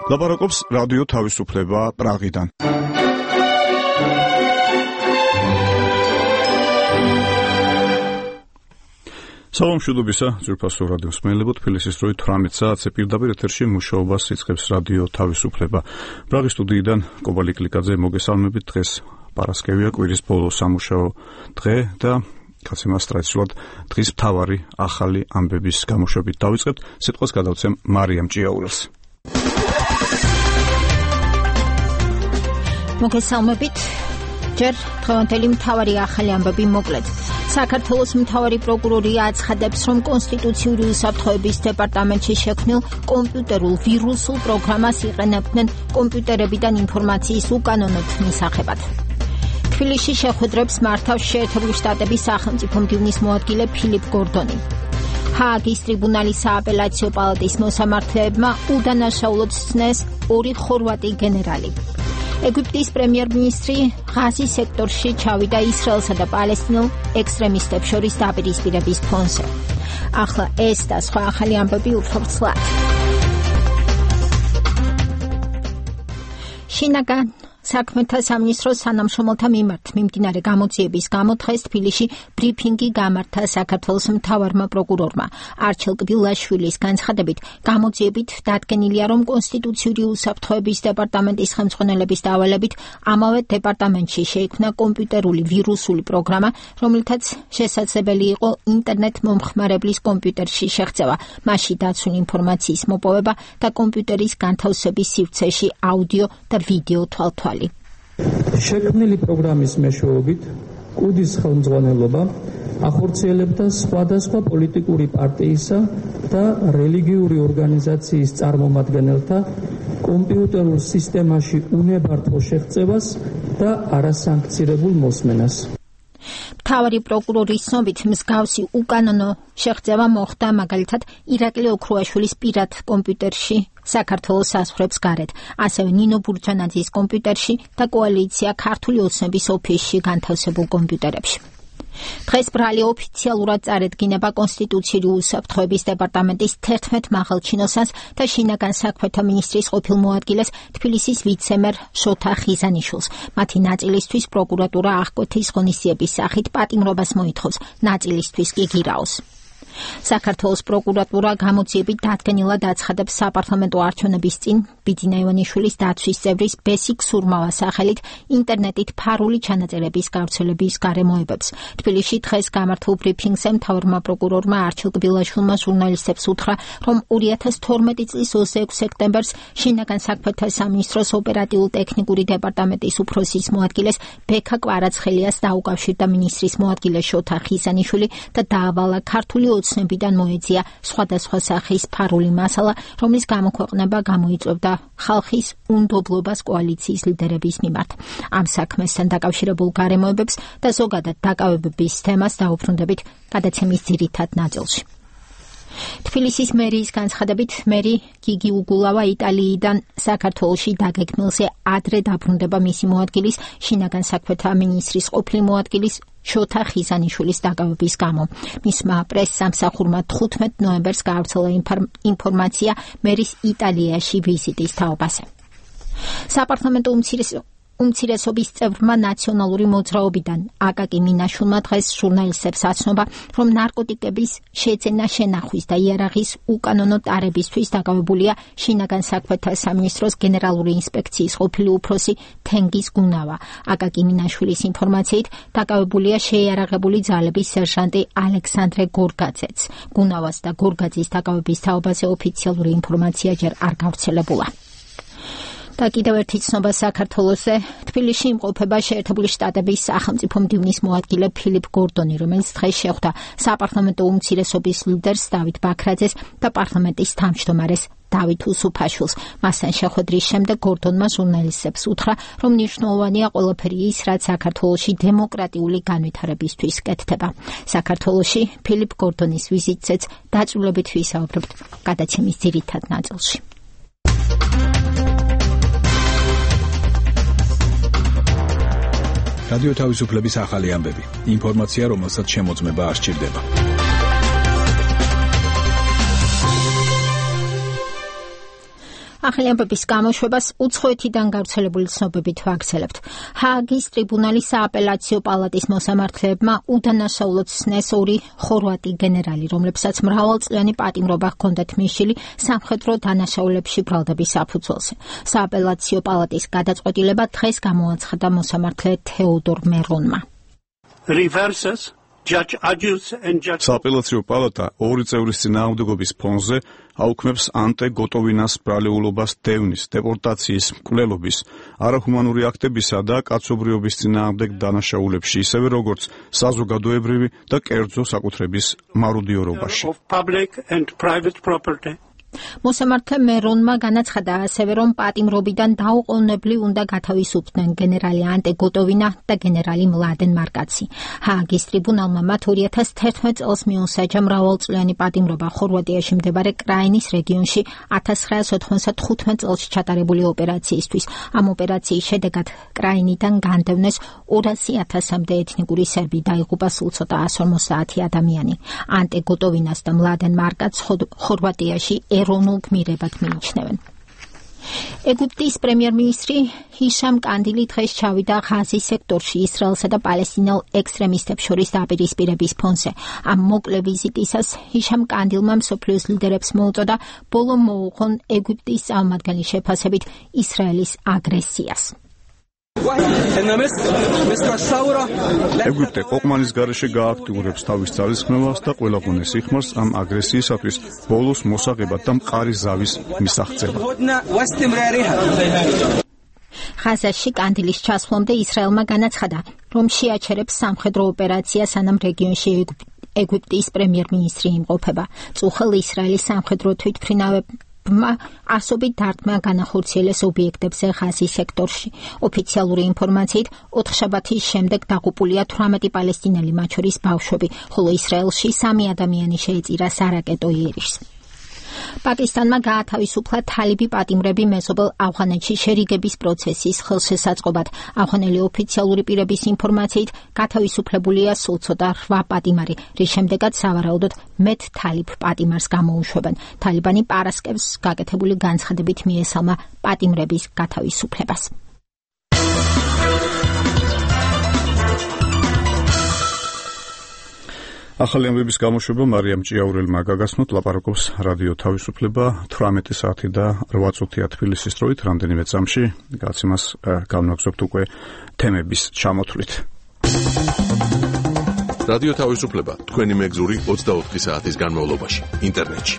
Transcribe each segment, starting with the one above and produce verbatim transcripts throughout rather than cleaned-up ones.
ლაპარაკობს რადიო თავისუფლება პრაღიდან. სალამ შუდობისა, ძვირფასო რადიო მსმენელებო, თბილისის დროით თვრამეტ საათზე პირდაპირ ეთერში მუშაობას იწყებს რადიო თავისუფლება. პრაღის სტუდიიდან კობალი კლიკაძე მოგესალმებით. დღეს პარასკევია, კვირის ბოლო სამუშაო დღე და კაცემას ტრადიციულად დღის მთავარი ახალი ამბების გამოშვებით დავიწყებთ. სიტყვას გადავცემ მარიამ ჭიაურელს. მოგესალმებით. ჯერ დღევანდელი მთავარი ახალი ამბები მოკლედ. საქართველოს მთავარი პროკურორი აცხადებს, რომ კონსტიტუციური უსაფრთხოების დეპარტამენტში შექმნილ კომპიუტერულ ვირუსულ პროგრამას იყენებდნენ კომპიუტერებიდან ინფორმაციის უკანონოდ მისაღებად. თბილისში შეხვედრებს მართავს შეერთებული შტატების სახელმწიფო მდივნის მოადგილე ფილიპ გორდონი. ჰააგის ტრიბუნალის სააპელაციო პალატის მოსამართლეებმა უდანაშაულოდ სცნეს ორი ხორვატი გენერალი. ეგვიპტის პრემიერ-მინისტრი ღაზის სექტორში ჩავიდა ისრაელსა და პალესტინელ ექსტრემისტებს შორის დაპირისპირების ფონზე. ახლა ეს და სხვა ახალი ამბები უფრო ვრცლად. შინაგან საქმეთა სამინისტროს თანამშრომელთა მიმართ მიმდინარე გამოძიების გამო დღეს თბილისში ბრიფინგი გამართა საქართველოს მთავარმა პროკურორმა. არჩილ კბილაშვილის განცხადებით, გამოძიებით დადგენილია, რომ კონსტიტუციური უსაფრთხოების დეპარტამენტის ხელმძღვანელების დავალებით ამავე დეპარტამენტში შეიქმნა კომპიუტერული ვირუსული პროგრამა, რომლითაც შესაძლებელი იყო ინტერნეტ მომხმარებლის კომპიუტერში შეღწევა, მასში დაცული ინფორმაციის მოპოვება და კომპიუტერის განთავსების სივრცეში აუდიო და ვიდეო თვალთვალი. შექმნილი პროგრამის მეშვეობით კუდის ხელმძღვანელობა ახორციელებდა სხვადასხვა პოლიტიკური პარტიისა და რელიგიური ორგანიზაციის წარმომადგენელთა კომპიუტერულ სისტემაში უნებართვო შეღწევას და არასანქცირებულ მოსმენას. მთავარი პროკურორის ცნობით მსგავსი უკანონო შეღწევა მოხდა მაგალითად ირაკლი ოქრუაშვილის პირად კომპიუტერში საქართველოს საზღვრებს გარეთ, ასევე ნინო ბურჯანაძის კომპიუტერში და კოალიცია ქართული ოცნების ოფისში განთავსებულ კომპიუტერებში. დღეს ბრალი ოფიციალურად წარედგინება კონსტიტუციური უსაფრთხოების დეპარტამენტის თერთმეტ მაღალჩინოსანს და შინაგან საქმეთა მინისტრის ყოფილ მოადგილეს თბილისის ვიცემერ შოთა ხიზანიშვილს. მათი ნაწილისთვის პროკურატურა აღკვეთის ღონისძიების სახით პატიმრობას მოითხოვს, ნაწილისთვის კი გირაოს. საქართველოს პროკურატურა გამოძიებით დადგენილად აცხადებს საპარლამენტო არჩევნების წინ ბიძინა ივანიშვილის დაცვის წევრის ბესიკ სურმავას სახელით ინტერნეტით ფარული ჩანაწერების გავრცელების გარემოებებს. თბილისში დღეს გამართულ ბრიფინგზე მთავარმა პროკურორმა არჩილ კბილაშვილმა ჟურნალისტებს უთხრა, რომ ორი ათას თორმეტი წლის ოცდაექვსი სექტემბერს შინაგან საქმეთა სამინისტროს ოპერატიულ-ტექნიკური დეპარტამენტის უფროსის მოადგილეს ბექა კვარაცხელიას დაუკავშირდა მინისტრის მოადგილე შოთა ხიზანიშვილი და დაავალა ქართული ოცნებიდან მოეძია სხვადასხვა სახის ფარული მასალა, რომლის გამოქვეყნება გამოიწვევდა ხალხის უნდობლობას კოალიციის ლიდერების მიმართ. ამ საქმესთან დაკავშირებულ გარემოებებს და ზოგადად დაკავებების თემას დაუბრუნდებით გადაცემის ძირითად ნაწილში. თბილისის მერიის განცხადებით, მერი გიგი უგულავა იტალიიდან საქართველოში დაგეგმილზე ადრე დაბრუნდება მისი მოადგილის, შინაგან საქმეთა მინისტრის ყოფილი მოადგილის შოთა ხიზანიშვილის დაკავების გამო. მისმა პრეს-სამსახურმა თხუთმეტ ნოემბერს გაავრცელა ინფორმაცია მერის იტალიაში ვიზიტის თაობაზე. საპარლამენტო უმცირესობის წევრმა ნაციონალური მოძრაობიდან აკაკი მინაშვილმა დღეს ჟურნალისტებს აცნობა, რომ ნარკოტიკების შეძენა შენახვის და იარაღის უკანონო ტარებისთვის დაკავებულია შინაგან საქმეთა სამინისტროს გენერალური ინსპექციის ყოფილი უფროსი თენგიზ გუნავა. აკაკი მინაშვილის ინფორმაციით დაკავებულია შეიარაღებული ძალების სერჟანტი ალექსანდრე გორგაძეც. გუნავას და გორგაძის დაკავების თაობაზე ოფიციალური ინფორმაცია ჯერ არ გავრცელებულა. და კიდევ ერთი ცნობა საქართველოსზე. თბილისში იმყოფება შეერთებული შტატების სახელმწიფო მდივნის მოადგილე ფილიპ გორდონი, რომელიც დღეს შეხვდა საპარლამენტო უმცირესობის ლიდერს დავით ბაქრაძეს და პარლამენტის თავმჯდომარეს დავით უსუფაშვილს. მასთან შეხვედრის შემდეგ გორდონმა ჟურნალისტებს უთხრა, რომ მნიშვნელოვანია ყველაფერი ის, რაც საქართველოში დემოკრატიული განვითარებისთვის კეთდება. საქართველოში ფილიპ გორდონის ვიზიტზეც დაწვრილებით ვისაუბრებთ გადაცემის ძირითად ნაწილში. რადიო თავისუფლების ახალი ამბები. ინფორმაცია, რომელსაც შემოწმება არ სჭირდება. ახალი ამბების გამოშვებას უცხოეთიდან გავრცელებული ცნობებით ვაგრძელებთ. ჰააგის ტრიბუნალის სააპელაციო პალატის მოსამართლეებმა უდანაშაულოდ სცნეს ორი ხორვატი გენერალი, რომლებსაც მრავალწლიანი პატიმრობა ჰქონდათ მისული სამხედრო დანაშაულებში ბრალდების საფუძველზე. სააპელაციო პალატის გადაწყვეტილება დღეს გამოაცხადა მოსამართლე თეოდორ მერონმა. Reverses Judge Adjus and Judge სააპელაციო პალატა ორი წევრის წინააღმდეგობის ფონზე აუქმებს ანტე გოტოვინას ბრალეულობას დევნის, დეპორტაციის, მკვლელობის, არაჰუმანური აქტებისა და კაცობრიობის წინააღმდეგ დანაშაულებში, ისევე როგორც საზოგადოებრივი და კერძო საკუთრების მარუდიორობაში. of public and private property. მოსამართლე მერონმა განაცხადა ასევე, რომ პატიმრობიდან დაუყოვნებლივ უნდა გათავისუფლდნენ გენერალი ანტე გოტოვინა და გენერალი მლადენ მარკაცი. ჰააგის ტრიბუნალმა მათ ორი ათას თერთმეტ წელს მიუსაჯა მრავალწლიანი პატიმრობა ხორვატიაში მდებარე კრაინის რეგიონში ათას ცხრაას ოთხმოცდათხუთმეტ წელს ჩატარებული ოპერაციისთვის. ამ ოპერაციის შედეგად კრაინიდან განდევნეს ორასი ათასამდე ეთნიკური სერბი, დაიღუპა სულ ცოტა ასი ორმოცდაათი ადამიანი. ანტე გოტოვინას და მლადენ მარკაცს ხორვატიაში ეროვნულ გმირებად მიიჩნევენ. ეგვიპტის პრემიერ-მინისტრი ჰიშამ კანდილი დღეს ჩავიდა ღაზის სექტორში ისრაელსა და პალესტინელ ექსტრემისტებს შორის დაპირისპირების ფონზე. ამ მოკლე ვიზიტისას ჰიშამ კანდილმა მსოფლიოს ლიდერებს მოუწოდა ბოლო მოუღონ ეგვიპტის წარმომადგენლის შეფასებით ისრაელის აგრესიას. ეგვიპტე ყოყმანის გარეშე გააქტიურებს თავის ძალისხმევას და ყველა ღონეს იხმარს ამ აგრესიისათვის ბოლოს მოსაღებად და მყარი ზავის მისაღწევად. ღაზაში კანდილის ჩასვლამდე ისრაელმა განაცხადა, რომ შეაჩერებს სამხედრო ოპერაციას, სანამ რეგიონში ეგვიპტის პრემიერ-მინისტრი იმყოფება. წუხელ ისრაელის სამხედრო თვითმფრინავებმა ასობით დარტყმა განახორციელეს ობიექტებზე ღაზის სექტორში. ოფიციალური ინფორმაციით, ოთხშაბათის შემდეგ დაღუპულია თვრამეტი პალესტინელი, მათ შორის ბავშვები, ხოლო ისრაელში სამი ადამიანი შეეწირა სარაკეტო იერიშს. პაკისტანმა გაათავისუფლა თალიბი პატიმრები მეზობელ ავღანეთში შერიგების პროცესის ხელშესაწყობად. ავღანელი ოფიციალური პირების ინფორმაციით, გათავისუფლებულია სულ ცოტა რვა პატიმარი, რის შემდეგაც სავარაუდოდ მეტ თალიბ პატიმარს გამოუშვებენ. თალიბანი პარასკევს გაკეთებული განცხადებით მიესალმა პატიმრების გათავისუფლებას. ახალი ამბების გამოშვება მარიამ ჭიაურელმა გაგაცნოთ, ლაპარაკობს რადიო თავისუფლება თვრამეტი საათი და რვა წუთია თბილისის დროით, რამდენიმე წამში გაცემას განვაგრძობთ უკვე თემების ჩამოთვლით. რადიო თავისუფლება თქვენი მეგზური ოცდაოთხი საათის განმავლობაში ინტერნეტში.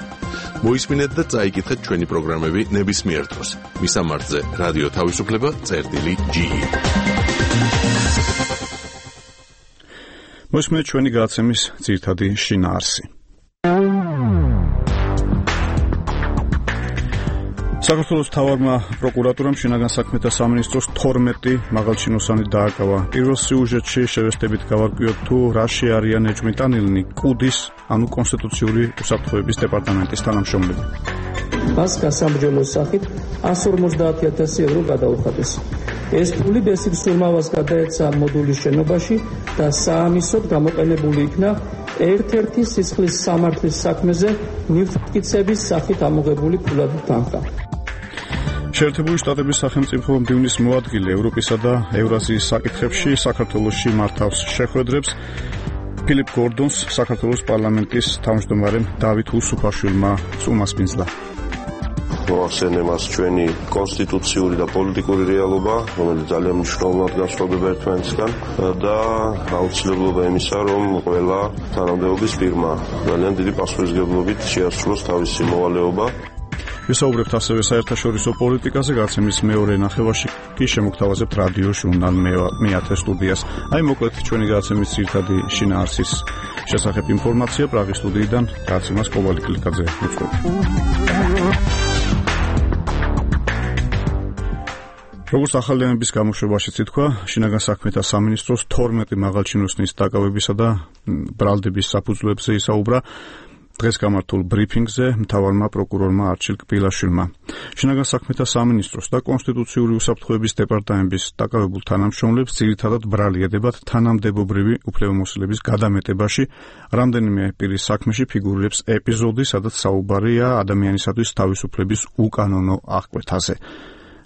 მოისმინეთ და წაიკითხეთ ჩვენი პროგრამები ნებისმიერ დროს. მისამართზე რადიო თავისუფლება წერტილი ჯი ი. მოისმინეთ ჩვენი გადაცემის ძირითადი შინაარსი. საქართველოს მთავარმა პროკურატურამ შინაგან საქმეთა სამინისტროს თორმეტი მაღალჩინოსანი დააკავა. პირველ სიუჟეტში შევესწრებით გავარკვიოთ თუ რა შეარიან ეჭვმიტანილნი კუდის, ანუ კონსტიტუციური უსაფრთხოების დეპარტამენტის თანამშრომლები. მას გასამბჯელოს სახით ასი ორმოცდაათი ათასი ევრო გადაუხადეს. ეს ფული ბესიკ სურმავას გადაეცა მოდულის შენობაში და საამისოდ გამოყენებული იქნა ერთ-ერთი სისხლის სამართლის საქმეზე ნივთმტკიცების სახით ამოღებული ფულადი თანხა. შეერთებული შტატების სახელმწიფო მდივნის მოადგილე ევროპისა და ევრაზიის საკითხებში საქართველოში მართავს შეხვედრებს. ფილიპ გორდონს საქართველოს პარლამენტის თავმჯდომარემ დავით უსუფაშვილმა წუმასპინძლა. მოახსენე მას ჩვენი კონსტიტუციური და პოლიტიკური რეალობა, რომელიც ძალიან მნიშვნელოვნად განსხვავდება ერთმანეთისგან და აუცილებლობა იმისა, რომ ყველა თანამდებობის პირმა ძალიან დიდი პასუხისმგებლობით შეასრულოს თავისი მოვალეობა. ვისაუბრებთ ასევე საერთაშორისო პოლიტიკაზე, გაცემის მეორე ნახევარში კი შემოგთავაზებთ რადიო ჟურნალ მეათე სტუდიას. აი მოკლედ ჩვენი გაცემის ძირითადი შინაარსის შესახებ ინფორმაცია პრაღის სტუდიიდან გაცემას კობალი კლიკაძე უძღვები. როგორც ახალი ამბების გამოშვებაშიც ითქვა, შინაგან საქმეთა სამინისტროს თორმეტი მაღალჩინოსნის დაკავებისა და ბრალდების საფუძვლებზე ისაუბრა. დღეს გამართულ ბრიფინგზე მთავარმა პროკურორმა არჩილ კბილაშვილმა შინაგან საქმეთა სამინისტროს და კონსტიტუციური უსაფრთხოების დეპარტამენტის დაკავებულ თანამშრომლებს ძირითადად ბრალი ედებათ თანამდებობრივი უფლებამოსილების გადამეტებაში რამდენიმე პირის საქმეში ფიგურირებს ეპიზოდი, სადაც საუბარია ადამიანისათვის თავისუფლების უკანონო აღკვეთაზე,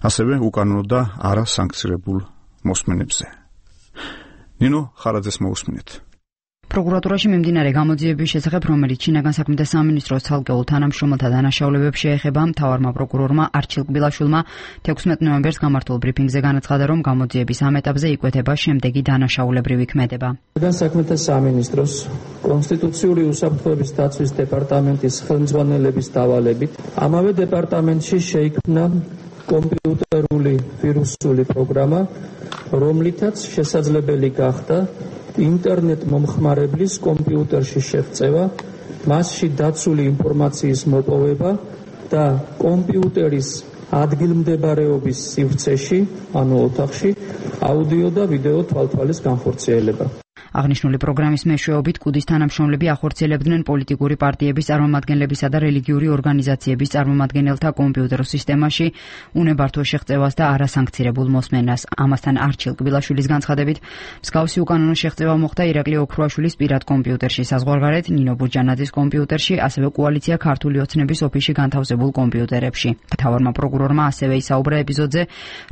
ასევე უკანონო და არასანქცირებულ მოსმენებზე. ნინო ხარაძეს მოусმინეთ. პროკურატურაში მიმდინარე გამოძიების შესახებ, რომელიც შინაგან საქმეთა სამინისტროს ცალკეულ თანამშრომელთა დანაშაულებებს შეეხება, მთავარმა პროკურორმა არჩილ კბილაშვილმა თექვსმეტ ნოემბერს გამართულ ბრიფინგზე განაცხადა, რომ გამოძიების ამ ეტაპზე იკვეთება შემდეგი დანაშაულებრივი ქმედება. შინაგან საქმეთა სამინისტროს კონსტიტუციური უსაფრთხოების დაცვის დეპარტამენტის ხელმძღვანელების დავალებით ამავე დეპარტამენტში შეიქმნა კომპიუტერული ვირუსული პროგრამა, რომლითაც შესაძლებელი გახდა ინტერნეტ მომხმარებლის კომპიუტერში შეღწევა, მასში დაცული ინფორმაციის მოპოვება და კომპიუტერის ადგილმდებარეობის სივრცეში, ანუ ოთახში, აუდიო და ვიდეო თვალთვალის განხორციელება. აღნიშნული პროგრამის მეშვეობით კუდის თანამშრომლები ახორციელებდნენ პოლიტიკური პარტიების წარმომადგენლებისა და რელიგიური ორგანიზაციების წარმომადგენელთა კომპიუტერულ სისტემაში უნებართვო შეღწევას და არასანქცირებულ მოსმენას. ამასთან არჩილ კბილაშვილის განცხადებით, მსგავსი უკანონო შეღწევა მოხდა ირაკლი ოქრუაშვილის პირად კომპიუტერში საზღვარგარეთ, ნინო ბურჯანაძის კომპიუტერში, ასევე კოალიცია ქართული ოცნების ოფისში განთავსებულ კომპიუტერებში. მთავარმა პროკურორმა ასევე ისაუბრა ეპიზოდზე,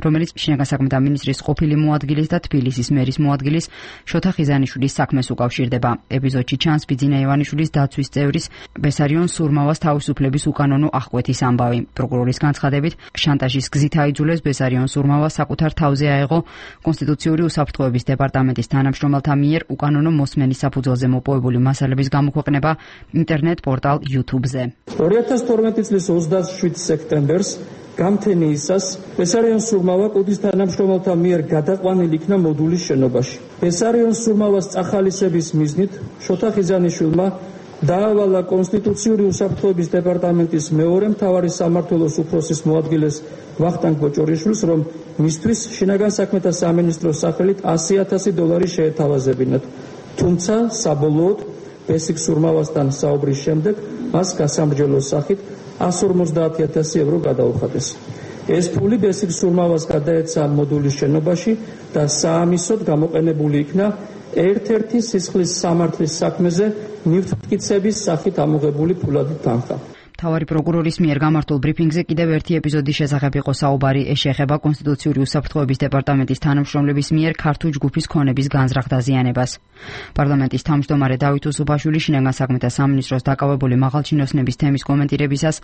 რომელიც შინაგან საქმეთა მინისტრის ყოფილი მოადგილის და თბილისის მერის მოადგილის შოთა ხიზანიშვილის საქმეს უკავშირდება. ეპიზოდში ჩანს ბიძინა ივანიშვილის დაცვის წევრის ბესარიონ სურმავას თავისუფლების უკანონო აღკვეთის ამბავი. პროკურორის განცხადებით, შანტაჟის გზით აიძულეს ბესარიონ სურმავა საკუთარ თავზე აეღო კონსტიტუციური უსაფრთხოების დეპარტამენტის თანამშრომელთა მიერ უკანონო მოსმენის საფუძველზე მოპოვებული მასალების გამოქვეყნება ინტერნეტ პორტალ YouTube-ზე. ორი ათას თორმეტი წლის ოცდაშვიდ სექტემბერს გამთენიისას ბესარიონ სურმავა კუდის თანამშრომელთა მიერ გადაყვანილი იქნა მოდულის შენობაში. ბესარიონ სურმავას წახალისების მიზნით შოთა ხიზანიშვილმა დაავალა კონსტიტუციური უსაფრთხოების დეპარტამენტის მეორე მთავარი სამმართველოს უფროსის მოადგილეს ვახტანგ ბოჭორიშვილს, რომ მისთვის შინაგან საქმეთა სამინისტროს სახელით ასი ათასი დოლარი შეეთავაზებინათ. თუმცა საბოლოოდ ბესიკ სურმავასთან საუბრის შემდეგ მას გასამრჯელოს სახით ასი ორმოცდაათი ათასი ევრო გადაუხადეს. ეს ფული ბესიკ სურმავას გადაეცა მოდულის შენობაში და საამისოდ გამოყენებული იქნა ერთ-ერთი სისხლის სამართლის საქმეზე ნივთმტკიცების სახით ამოღებული ფულადი თანხა. მთავარი პროკურორის მიერ გამართულ ბრიფინგზე კიდევ ერთი ეპიზოდის შესახებ იყო საუბარი. ეს შეეხება კონსტიტუციური უსაფრთხოების დეპარტამენტის თანამშრომლების მიერ ქართულ ჯგუფის ქონების განზრახ დაზიანებას. პარლამენტის თავმჯდომარე დავით უსუფაშვილი შინაგან საქმეთა სამინისტროს დაკავებული მაღალჩინოსნების თემის კომენტირებისას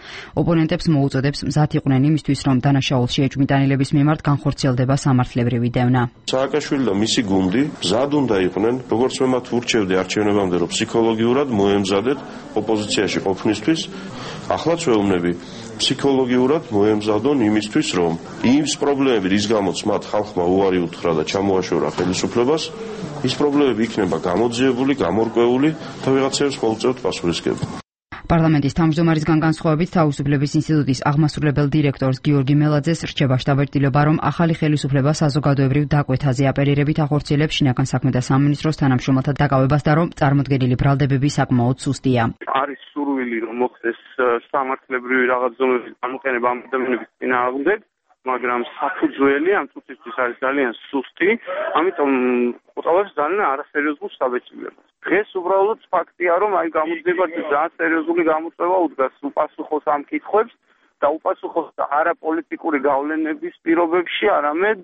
ოპონენტებს მოუწოდებს მზად იყვნენ იმისთვის, რომ დანაშაულ შეჭმიტანილების მიმართ განხორციელდება სამართლებრივი დევნა. სააკაშვილი და მისი გუნდი მზად უნდა იყვნენ, როგორც მე მათ ურჩევდი არჩევნებამდე, რომ ფსიქოლოგიურად მოემზადეთ ოპოზიციაში ყოფნისთვის. Ახლაც ვეუბნები ფსიქოლოგიურად მოემზადონ იმისთვის, რომ იმ პრობლემები, რის გამოც მათ ხალხმა უარი უთხრა და ჩამოაშორა ხელისუფლებას, ის პრობლემები იქნება გამოძიებული, გამორკვეული და ვიღაცებს მოუწევთ პასუხისგება. პარლამენტის თავმჯდომარისგან განსხვავებით თავისუფლების ინსტიტუტის აღმასრულებელ დირექტორს გიორგი მელაძეს რჩება შტაბ-ეტილობა, რომ ახალი ხელისუფლება საზოგადოებრივ დაკვეთაზე აპელირებით ახორციელებს შინაგან საქმეთა სამინისტროს თანამშრომელთა დაკავებას და რომ წარმოდგენილი ბრალდებები საკმაოდ სუსტია. არის სურვილი, რომ მოხდეს სამართლებრივი რაღაც ზომების გამოყენება ამ ადამიანების წინააღმდეგ, მაგრამ საფუძველი ამ წუთისთვის არის ძალიან სუსტი, ამიტომ ყოველთვის ძალიან არასერიოზულ შტაბ-ეტილებას. დღეს უბრალოდ ფაქტია, რომ აი გამოძიება ძალიან სერიოზული გამოწვევა უდგას უპასუხოს ამ კითხვებს და უპასუხოს არა პოლიტიკური გავლენების პირობებში, არამედ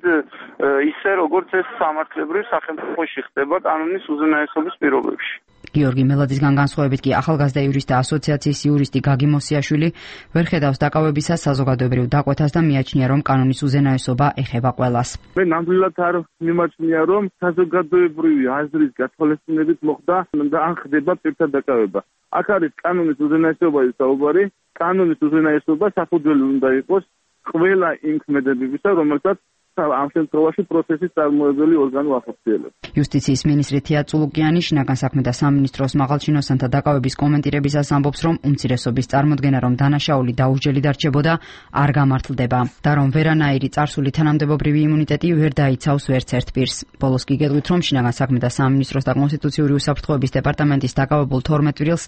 ისე როგორც ეს სამართლებრივ სახელმწიფოში ხდება კანონის უზენაესობის პირობებში. გიორგი მელაძისგან განსხვავებით კი ახალგაზრდა იურისტთა ასოციაციის იურისტი გაგი მოსიაშვილი ვერ ხედავს დაკავებისას საზოგადოებრივ დაკვეთას და მიაჩნია, რომ კანონის უზენაესობა ეხება ყველას. მე ნამდვილად არ მიმაჩნია, რომ საზოგადოებრივი აზრის გათვალისწინებით მოხდა და ან ხდება პირთა დაკავება. აქ არის კანონის უზენაესობაზე საუბარი. კანონის უზენაესობა საფუძველი უნდა იყოს ყველა იმ ქმედებებისა, რომელსაც ამ შემთხვევაში პროცესის წარმოებელი ორგანო ახორციელებს. იუსტიციის მინისტრი თია წულუკიანი შინაგან საქმეთა სამინისტროს მაღალჩინოსანთა დაკავების კომენტირებისას ამბობს, რომ უმცირესობის წარმოდგენა, რომ დანაშაული დაუსჯელი დარჩებოდა, არ გამართლდება და რომ ვერანაირი წარსული თანამდებობრივი იმუნიტეტი ვერ დაიცავს ვერცერთ პირს. ბოლოს კი გეტყვით, რომ შინაგან საქმეთა სამინისტროს და კონსტიტუციური უსაფრთხოების დეპარტამენტის დაკავებულ თორმეტ წვრილს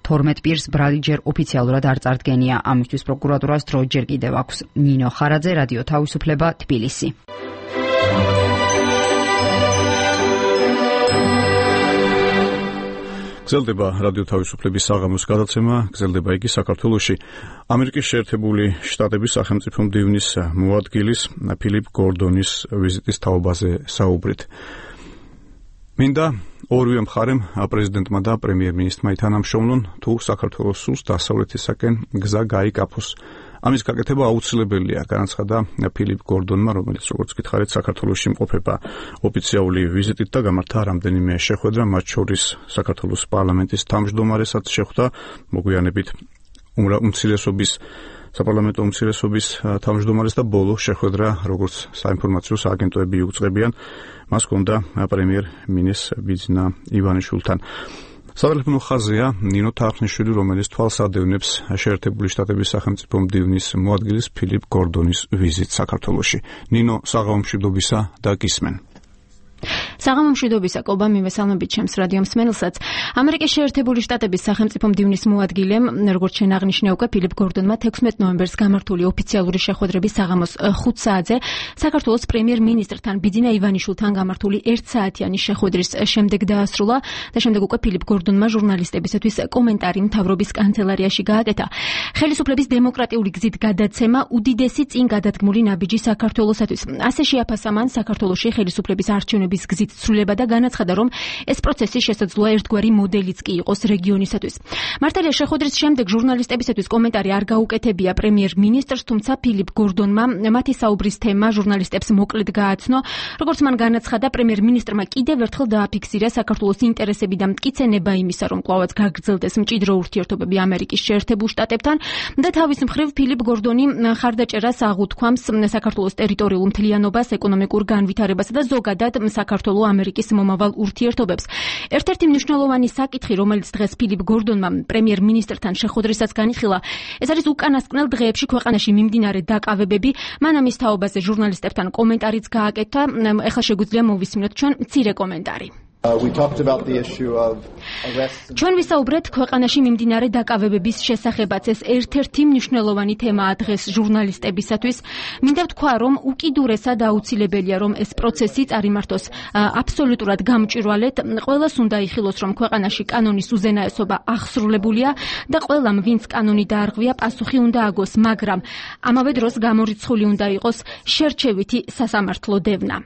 თორმეტ პირს ბრალი ჯერ ოფიციალურად არ წარდგენია. ამისთვის პროკურატურას დრო ჯერ კიდევ აქვს. ნინო ხარაძე, რადიო თავისუფლება, თბილისი. გრძელდება რადიო თავისუფლების საღამოს გადაცემა, გრძელდება იგი საქართველოში. ამერიკის შეერთებული შტატების სახელმწიფო მდივნის მოადგილის ფილიპ გორდონის ვიზიტის თაობაზე საუბრით. მინდა ორივე მხარემ, პრეზიდენტმა და პრემიერ-მინისტრმა ითანამშრომლონ, თუ საქართველოს სულს დასავლეთისაკენ გზა გაიკაფოს. ამის გაკეთება აუცილებელია, განაცხადა ფილიპ გორდონმა, რომელიც როგორც გითხარით, საქართველოში იმყოფება ოფიციალური ვიზიტით და გამართა რამდენიმე შეხვედრა, მათ შორის საქართველოს პარლამენტის თავმჯდომარესაც შეხვდა, მოგვიანებით უმცირესობის საპარლამენტო უმცირესობის თავმჯდომარეს და ბოლო შეხვედრა, როგორც საინფორმაციო სააგენტოები იუწყებიან, მას ჰქონდა პრემიერ-მინისტრ ბიძინა ივანიშვილთან. სატელეფონო ხაზია ნინო თარხნიშვილი, რომელიც თვალს ადევნებს შეერთებული შტატების სახელმწიფო მდივნის მოადგილის ფილიპ გორდონის ვიზიტს საქართველოში. ნინო, საღამომშვიდობისა და გისმენ. საღამომშვიდობისა, კობა, მივესალმებით ჩემს რადიო მსმენელსაც. ამერიკის შეერთებული შტატების სახელმწიფო მდივნის მოადგილემ, როგორც შენ აღნიშნე უკვე, ფილიპ გორდონმა თექვსმეტ ნოემბერს გამართული ოფიციალური შეხვედრების საღამოს ხუთ საათზე საქართველოს პრემიერ-მინისტრთან ბიძინა ივანიშვილთან გამართული ერთსაათიანი შეხვედრის შემდეგ დაასრულა და შემდეგ უკვე ფილიპ გორდონმა ჟურნალისტებისათვის კომენტარი მთავრობის კანცელარიაში გააკეთა. ხელისუფლების დემოკრატიული გზით გადაცემა უდიდესი წინ გადადგმული ნაბიჯი საქართველოსათვის. ასე შეაფასა მან საქართველოში ხელისუფლების არჩევნების გზით ცვლილება და განაცხადა, რომ ეს პროცესი შესაძლოა ერთგვარი მოდელიც კი იყოს რეგიონისათვის. მართალია, შეხვედრის შემდეგ ჟურნალისტებისათვის კომენტარი არ გაუკეთებია პრემიერ-მინისტრს, თუმცა ფილიპ გორდონმა მათი საუბრის თემა ჟურნალისტებს მოკლედ გააცნო. როგორც მან განაცხადა, პრემიერ-მინისტრმა კიდევ ერთხელ დააფიქსირა საქართველოს ინტერესები და მტკიცენება იმისა, რომ კვლავაც გაგრძელდეს მჭიდრო ურთიერთობები ამერიკის შეერთებულ შტატებთან და თავის მხრივ ფილიპ გორდონი ხარდაჭერას აღუთქვამს საქართველოს ტერიტორიულ მთლიანობას, ეკონომიკურ განვითარებასა და ზოგადად საქართველოს ამერიკის მომავალ ურთიერთობებს. ერთ-ერთი მნიშვნელოვანი საკითხი, რომელიც დღეს ფილიპ გორდონმა პრემიერ-მინისტრთან შეხვედრისას განიხილა, ეს არის უკანასკნელ დღეებში ქვეყანაში მიმდინარე დაკავებები. მან ამის თაობაზე ჟურნალისტებთან კომენტარიც გააკეთა. ეხლა შეგვიძლია მოვისმინოთ ჩვენ მცირე კომენტარი. ჩვენ ვისაუბრეთ ქვეყანაში მიმდინარე დაკავებების შესახებაც. ეს ერთ-ერთი მნიშვნელოვანი თემაა დღეს ჟურნალისტებისათვის. მინდა ვთქვა, რომ უკიდურესად აუცილებელია, რომ ეს პროცესი წარიმართოს აბსოლუტურად გამჭვირვალედ. ყველას უნდა იხილოს, რომ ქვეყანაში კანონის უზენაესობა აღსრულებულია და ყველამ, ვინც კანონი დაარღვია, პასუხი უნდა აგოს, მაგრამ ამავე დროს გამორიცხული უნდა იყოს შერჩევითი სასამართლო დევნა.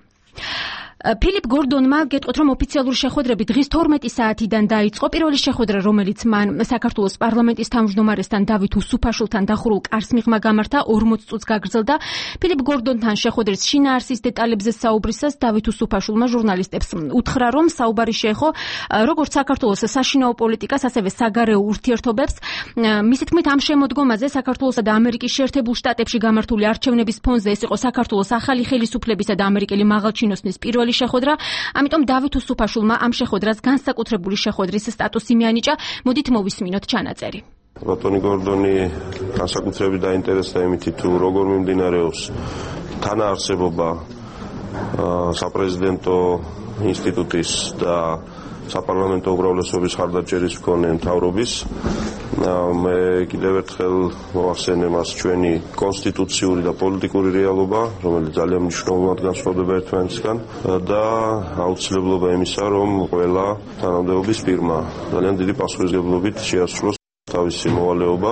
ფილიპ გორდონმა გეტყვით, რომ ოფიციალური შეხვედრები დღის თორმეტი საათიდან დაიწყო. პირველი შეხვედრა, რომელიც მან საქართველოს პარლამენტის თავმჯდომარესთან დავით უსუფაშვილთან დახურულ კარს მიღმა გამართა, ორმოც წუთს გაგრძელდა. ფილიპ გორდონთან შეხვედრის შინაარსის დეტალებზე საუბრისას დავით უსუფაშვილმა ჟურნალისტებს უთხრა, რომ საუბარი შეეხო როგორც საქართველოს საშინაო პოლიტიკას, ასევე საგარეო ურთიერთობებს. მისი თქმით, ამ შემოდგომაზე საქართველოსა და ამერიკის შეერთებულ შტატებში გამართული არჩევნების ფონზე ეს იყო საქართველოს ახალი ხელისუფლებისა და ამერიკელი მაღალჩინოსნის პირველი შეხვედრა, ამიტომ დავით უსუფაშვილმა ამ შეხვედრას განსაკუთრებული შეხვედრის სტატუსი მიანიჭა. მოდით მოვისმინოთ ჩანაწერი. ბატონი გორდონი განსაკუთრებით დაინტერესდა იმით, თუ როგორ მიმდინარეობს თანაარსებობა საპრეზიდენტო ინსტიტუტის და საპარლამენტო უმრავლესობის ხარდაჭერის მქონე მთავრობის. მე კიდევ ერთხელ მოვახსენე მას ჩვენი კონსტიტუციური და პოლიტიკური რეალობა, რომელიც ძალიან მნიშვნელოვნად განსხვავდება ერთმანეთისგან და აუცილებლობა იმისა, რომ ყველა თანამდებობის პირმა ძალიან დიდი პასუხისმგებლობით შეასრულოს თავისი მოვალეობა.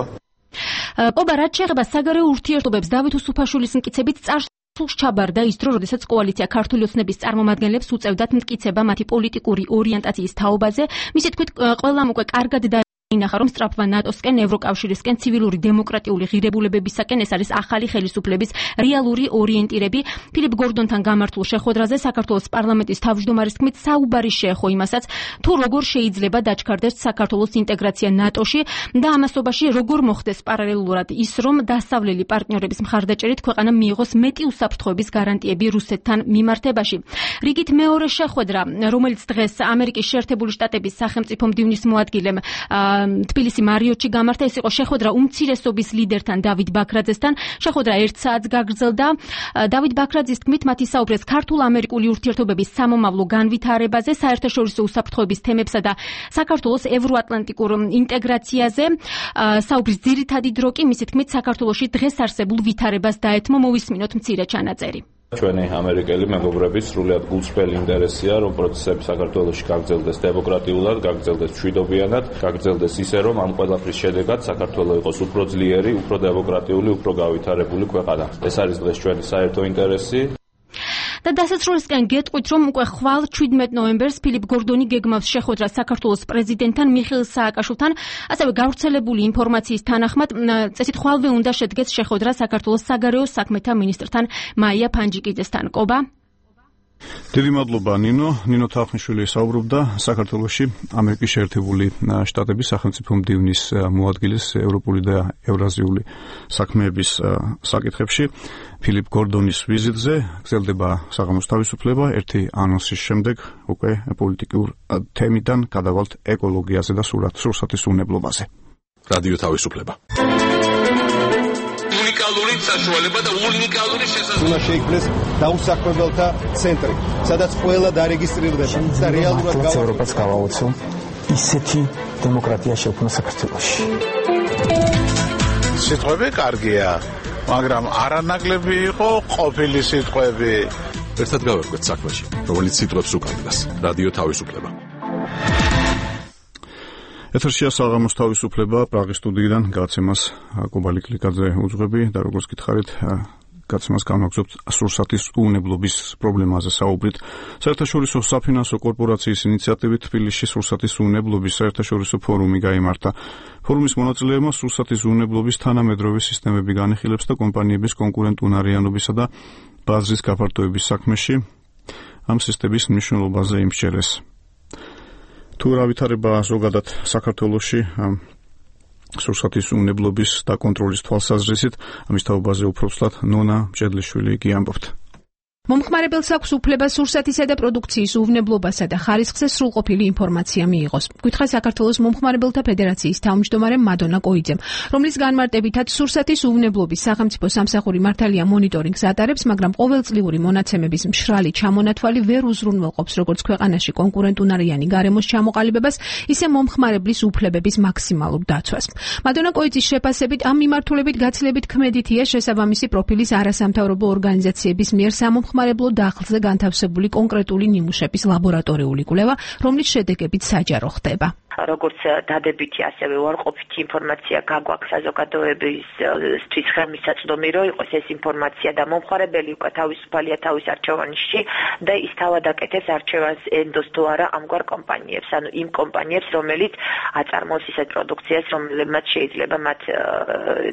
ყობა, რაც შეეხება საგარეო ურთიერთობებს, დავით უსუფაშვილის მტკიცებით წარს სულს ჩაბარდა ის დრო, როდესაც კოალიცია ქართული ოცნების წარმომადგენლებს უწევდათ მტკიცება მათი პოლიტიკური ორიენტაციის თაობაზე. მისი თქმით, ყველამ უკვე კარგად და ინახა, რომ სწრაფვა ნატოსკენ, ევროკავშირისკენ, ცივილური დემოკრატიული ღირებულებებისაკენ ეს არის ახალი ხელისუფლების რეალური ორიენტირები. ფილიპ გორდონთან გამართულ შეხვედრაზე საქართველოს პარლამენტის თავმჯდომარის თქმით, საუბარი შეეხო იმასაც, თუ როგორ შეიძლება დაჩქარდეს საქართველოს ინტეგრაცია ნატოში და ამასობაში როგორ მოხდეს პარალელურად ის, რომ დასავლელი პარტნიორების მხარდაჭერით ქვეყანა მიიღოს მეტი უსაფრთხოების გარანტიები რუსეთთან მიმართებაში. რიგით მეორე შეხვედრა, რომელიც დღეს ამერიკის შეერთებული შტატების სახელმწიფო მდივნის მოადგილემ თბილისი მარიოტში გამართა. ეს იყო შეხვედრა უმცირესობის ლიდერთან დავით ბაქრაძესთან. შეხვედრა ერთ საათს გაგრძელდა. დავით ბაქრაძის თქმით, მათი საუბრეს ქართულ-ამერიკული ურთიერთობების სამომავლო განვითარებაზე, საერთაშორისო უსაფრთხოების თემებსა და საქართველოს ევროატლანტიკურ ინტეგრაციაზე. საუბრის ძირითადი დრო კი მისი თქმით საქართველოში დღეს არსებულ ვითარებას დაეთმო. მოვისმინოთ მცირე ჩანაწერი. ჩვენი ამერიკელი მეგობრები სრულიად გულწრფელი ინტერესია, რომ პროცესები საქართველოში გაგრძელდეს დემოკრატიულად, გაგრძელდეს მშვიდობიანად, გაგრძელდეს ისე, რომ ამ ყველაფრის შედეგად საქართველო იყოს უფრო ძლიერი, უფრო დემოკრატიული, უფრო გავითარებული ქვეყანა. ეს არის დღეს ჩვენი საერთო ინტერესი. და დასასრულისკენ გეტყვით, რომ უკვე ხვალ შვიდმეტ ნოემბერს ფილიპ გორდონი გეგმავს შეხვედრას საქართველოს პრეზიდენტთან მიხეილ სააკაშვილთან, ასევე გავრცელებული ინფორმაციის თანახმად, წესით ხვალვე უნდა შედგეს შეხვედრა საქართველოს საგარეო საქმეთა მინისტრთან მაია ფანჯიკიძესთან. კობა დიდი მადლობა ნინო. ნინო თახნიშვილი საუბრობდა საქართველოში ამერიკის შეერთებული შტატების სახელმწიფო მდივნის მოადგილის ევროპული და ევრაზიული საქმეების საკითხებში ფილიპ გორდონის ვიზიტზე. გრძელდება საღამოს თავისუფლება. ერთი ანონსის შემდეგ უკვე პოლიტიკურ თემიდან გადავალთ ეკოლოგიაზე და სურსათის უნებლობაზე. რადიო თავისუფლება. უნიკალური საშუალება და უნიკალური შესაძლებლობა. უნდა შეიქმნეს დაუსაქმებელთა ცენტრი, სადაც ყველა დარეგისტრირდება და რეალურად ევროპას გავაოცო ისეთი დემოკრატია შექმნა საქართველოში. სიტყვები კარგია, მაგრამ არანაკლები იყო ყოფილი სიტყვები. ერთად გავერკვეთ საქმეში, რომელიც სიტყვებს უკანდას. რადიო თავისუფლება. ეთერშია საღამოს თავისუფლება. პრაღის სტუდიიდან გაცემას კობალი კლიკაძე უძღვები და როგორც გითხარით, გაცემას განვაგრძობთ სურსათის უნებლობის პრობლემაზე საუბრით. საერთაშორისო საფინანსო კორპორაციის ინიციატივით თბილისში სურსათის უნებლობის საერთაშორისო ფორუმი გაიმართა. ფორუმის მონაწილეებმა სურსათის უნებლობის თანამედროვე სისტემები განიხილებს და კომპანიების კონკურენტუნარიანობისა და ბაზრის გაფართოების საქმეში ამ სისტემის მნიშვნელობაზე იმსჯელეს. თუ რა ვითარება ზოგადად საქართველოში სურსათის უნებლობის და კონტროლის თვალსაზრისით, ამის თაობაზე უფრო ვსვლად ნონა მჭედლიშვილი კი ამბობთ. მომხმარებელს აქვს უფლება სურსათისა და პროდუქციის უვნებლობასა და ხარისხზე სრულყოფილი ინფორმაცია მიიღოს. გითხრა საქართველოს მომხმარებელთა ფედერაციის თავმჯდომარე მადონა კოიძემ, რომლის განმარტებითაც სურსათის უვნებლობის სახელმწიფო სამსახური მართალია მონიტორინგს ატარებს, მაგრამ ყოველწლიური მონაცემების მშრალი ჩამონათვალი ვერ უზრუნველყოფს როგორც ქვეყანაში კონკურენტუნარიანი გარემოს ჩამოყალიბებას, ისე მომხმარებლის უფლებების მაქსიმალურ დაცვას. მადონა კოიძის შეფასებით ამ მიმართულებით გაცილებით ქმედითია შესაბამისი პროფილის არასამთავრობო ორგანიზაციების მიერ სამომხმარებლო მომხმარებლო დახლზე განთავსებული კონკრეტული ნიმუშების ლაბორატორიული კვლევა, რომლის შედეგებით საჯარო ხდება. როგორც დადებითი, ასევე უარყოფითი ინფორმაცია გაგვაქვს საზოგადოებისთვის ხელმისაწვდომი, რომ იყოს ეს ინფორმაცია და მომხმარებელი უკვე თავისუფალია თავის არჩევანში და ის თავად აკეთებს არჩევანს ენდოს თუ არა ამგვარ კომპანიებს, ანუ იმ კომპანიებს, რომელიც აწარმოებს ისეთ პროდუქციას, რომლებმაც შეიძლება მათ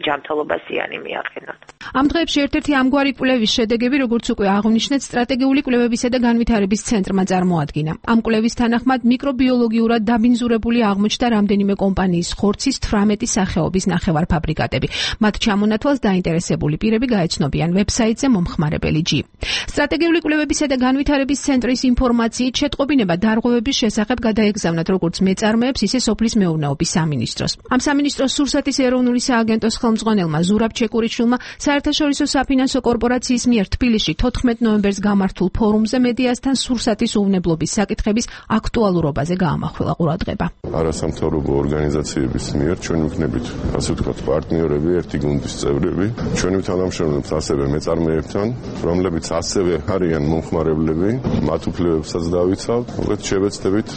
ჯანმრთელობას ზიანი მიაყენონ. ამ დღეებში ერთ-ერთი ამგვარი კვლევის შედეგები, როგორც უკვე აღნიშნეთ, სტრატეგიული კვლევებისა და განვითარების ცენტრმა წარმოადგინა. ამ კვლევის თანახმად მიკრობიოლოგიურად დაბინძურებული აღმოჩნდა რამდენიმე კომპანიის ხორცის თვრამეტი სახეობის ნახევარფაბრიკატები. მათ ჩამონათვალს დაინტერესებული პირები გაეცნობიან ვებსაიტზე მომხმარებელი ჯი. სტრატეგიული კვლევებისა და განვითარების ცენტრის ინფორმაციით შეტყობინება დარღვევების შესახებ გადაეგზავნათ როგორც მეწარმეებს, ისე სოფლის მეურნეობის სამინისტროს. ამ სამინისტროს სურსათის ეროვნული სააგენტოს ხელმძღვანელმა ზურაბ ჩეკურიშვილმა საერთაშორისო საფინანსო კორპორაციის მიერ თბილისში თოთხმეტ ნოემბერს გამართულ ფორუმზე მედიასთან სურსათის უვნებლობის საკითხების აქტუალურობაზე გაამახვილა ყურადღება. არასამთავრობო ორგანიზაციების მიერ ჩვენ ვიქნებით, ასე ვთქვათ, პარტნიორები, ერთი გუნდის წევრები. ჩვენ თანამშრომლობთ ასევე მეწარმეებთან, რომლებიც ასევე არიან მომხმარებლები, მათ უფლებებსაც დავიცავთ. მოკლედ შევეცდებით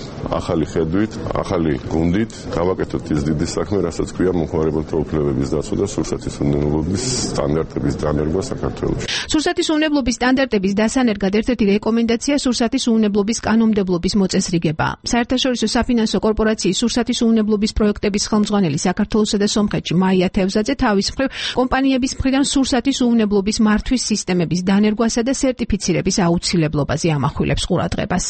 ახალი ხედვით, ახალი გუნდით გავაკეთოთ ის დიდი საქმე, რასაც ქვია მომხმარებელთა უფლებების დაცვა და სურსათის უნებლობის სტანდარტების დანერგვა საქართველოში. სურსათის უნებლობის სტანდარტების დასანერგად ერთ-ერთი რეკომენდაცია სურსათის უნებლობის კანონმდებლობის მოწესრიგებაა. საერთაშორისო საფინანსო კორპორაციის სურსათის უნებლობის პროექტების ხელმძღვანელი საქართველოსა და სომხეთში მაია თევზაძე თავის მხრივ კომპანიების მხრიდან სურსათის უნებლობის მართვის სისტემების დანერგვასა და სერტიფიცირების აუცილებლობაზე ამახვილებს ყურადღებას.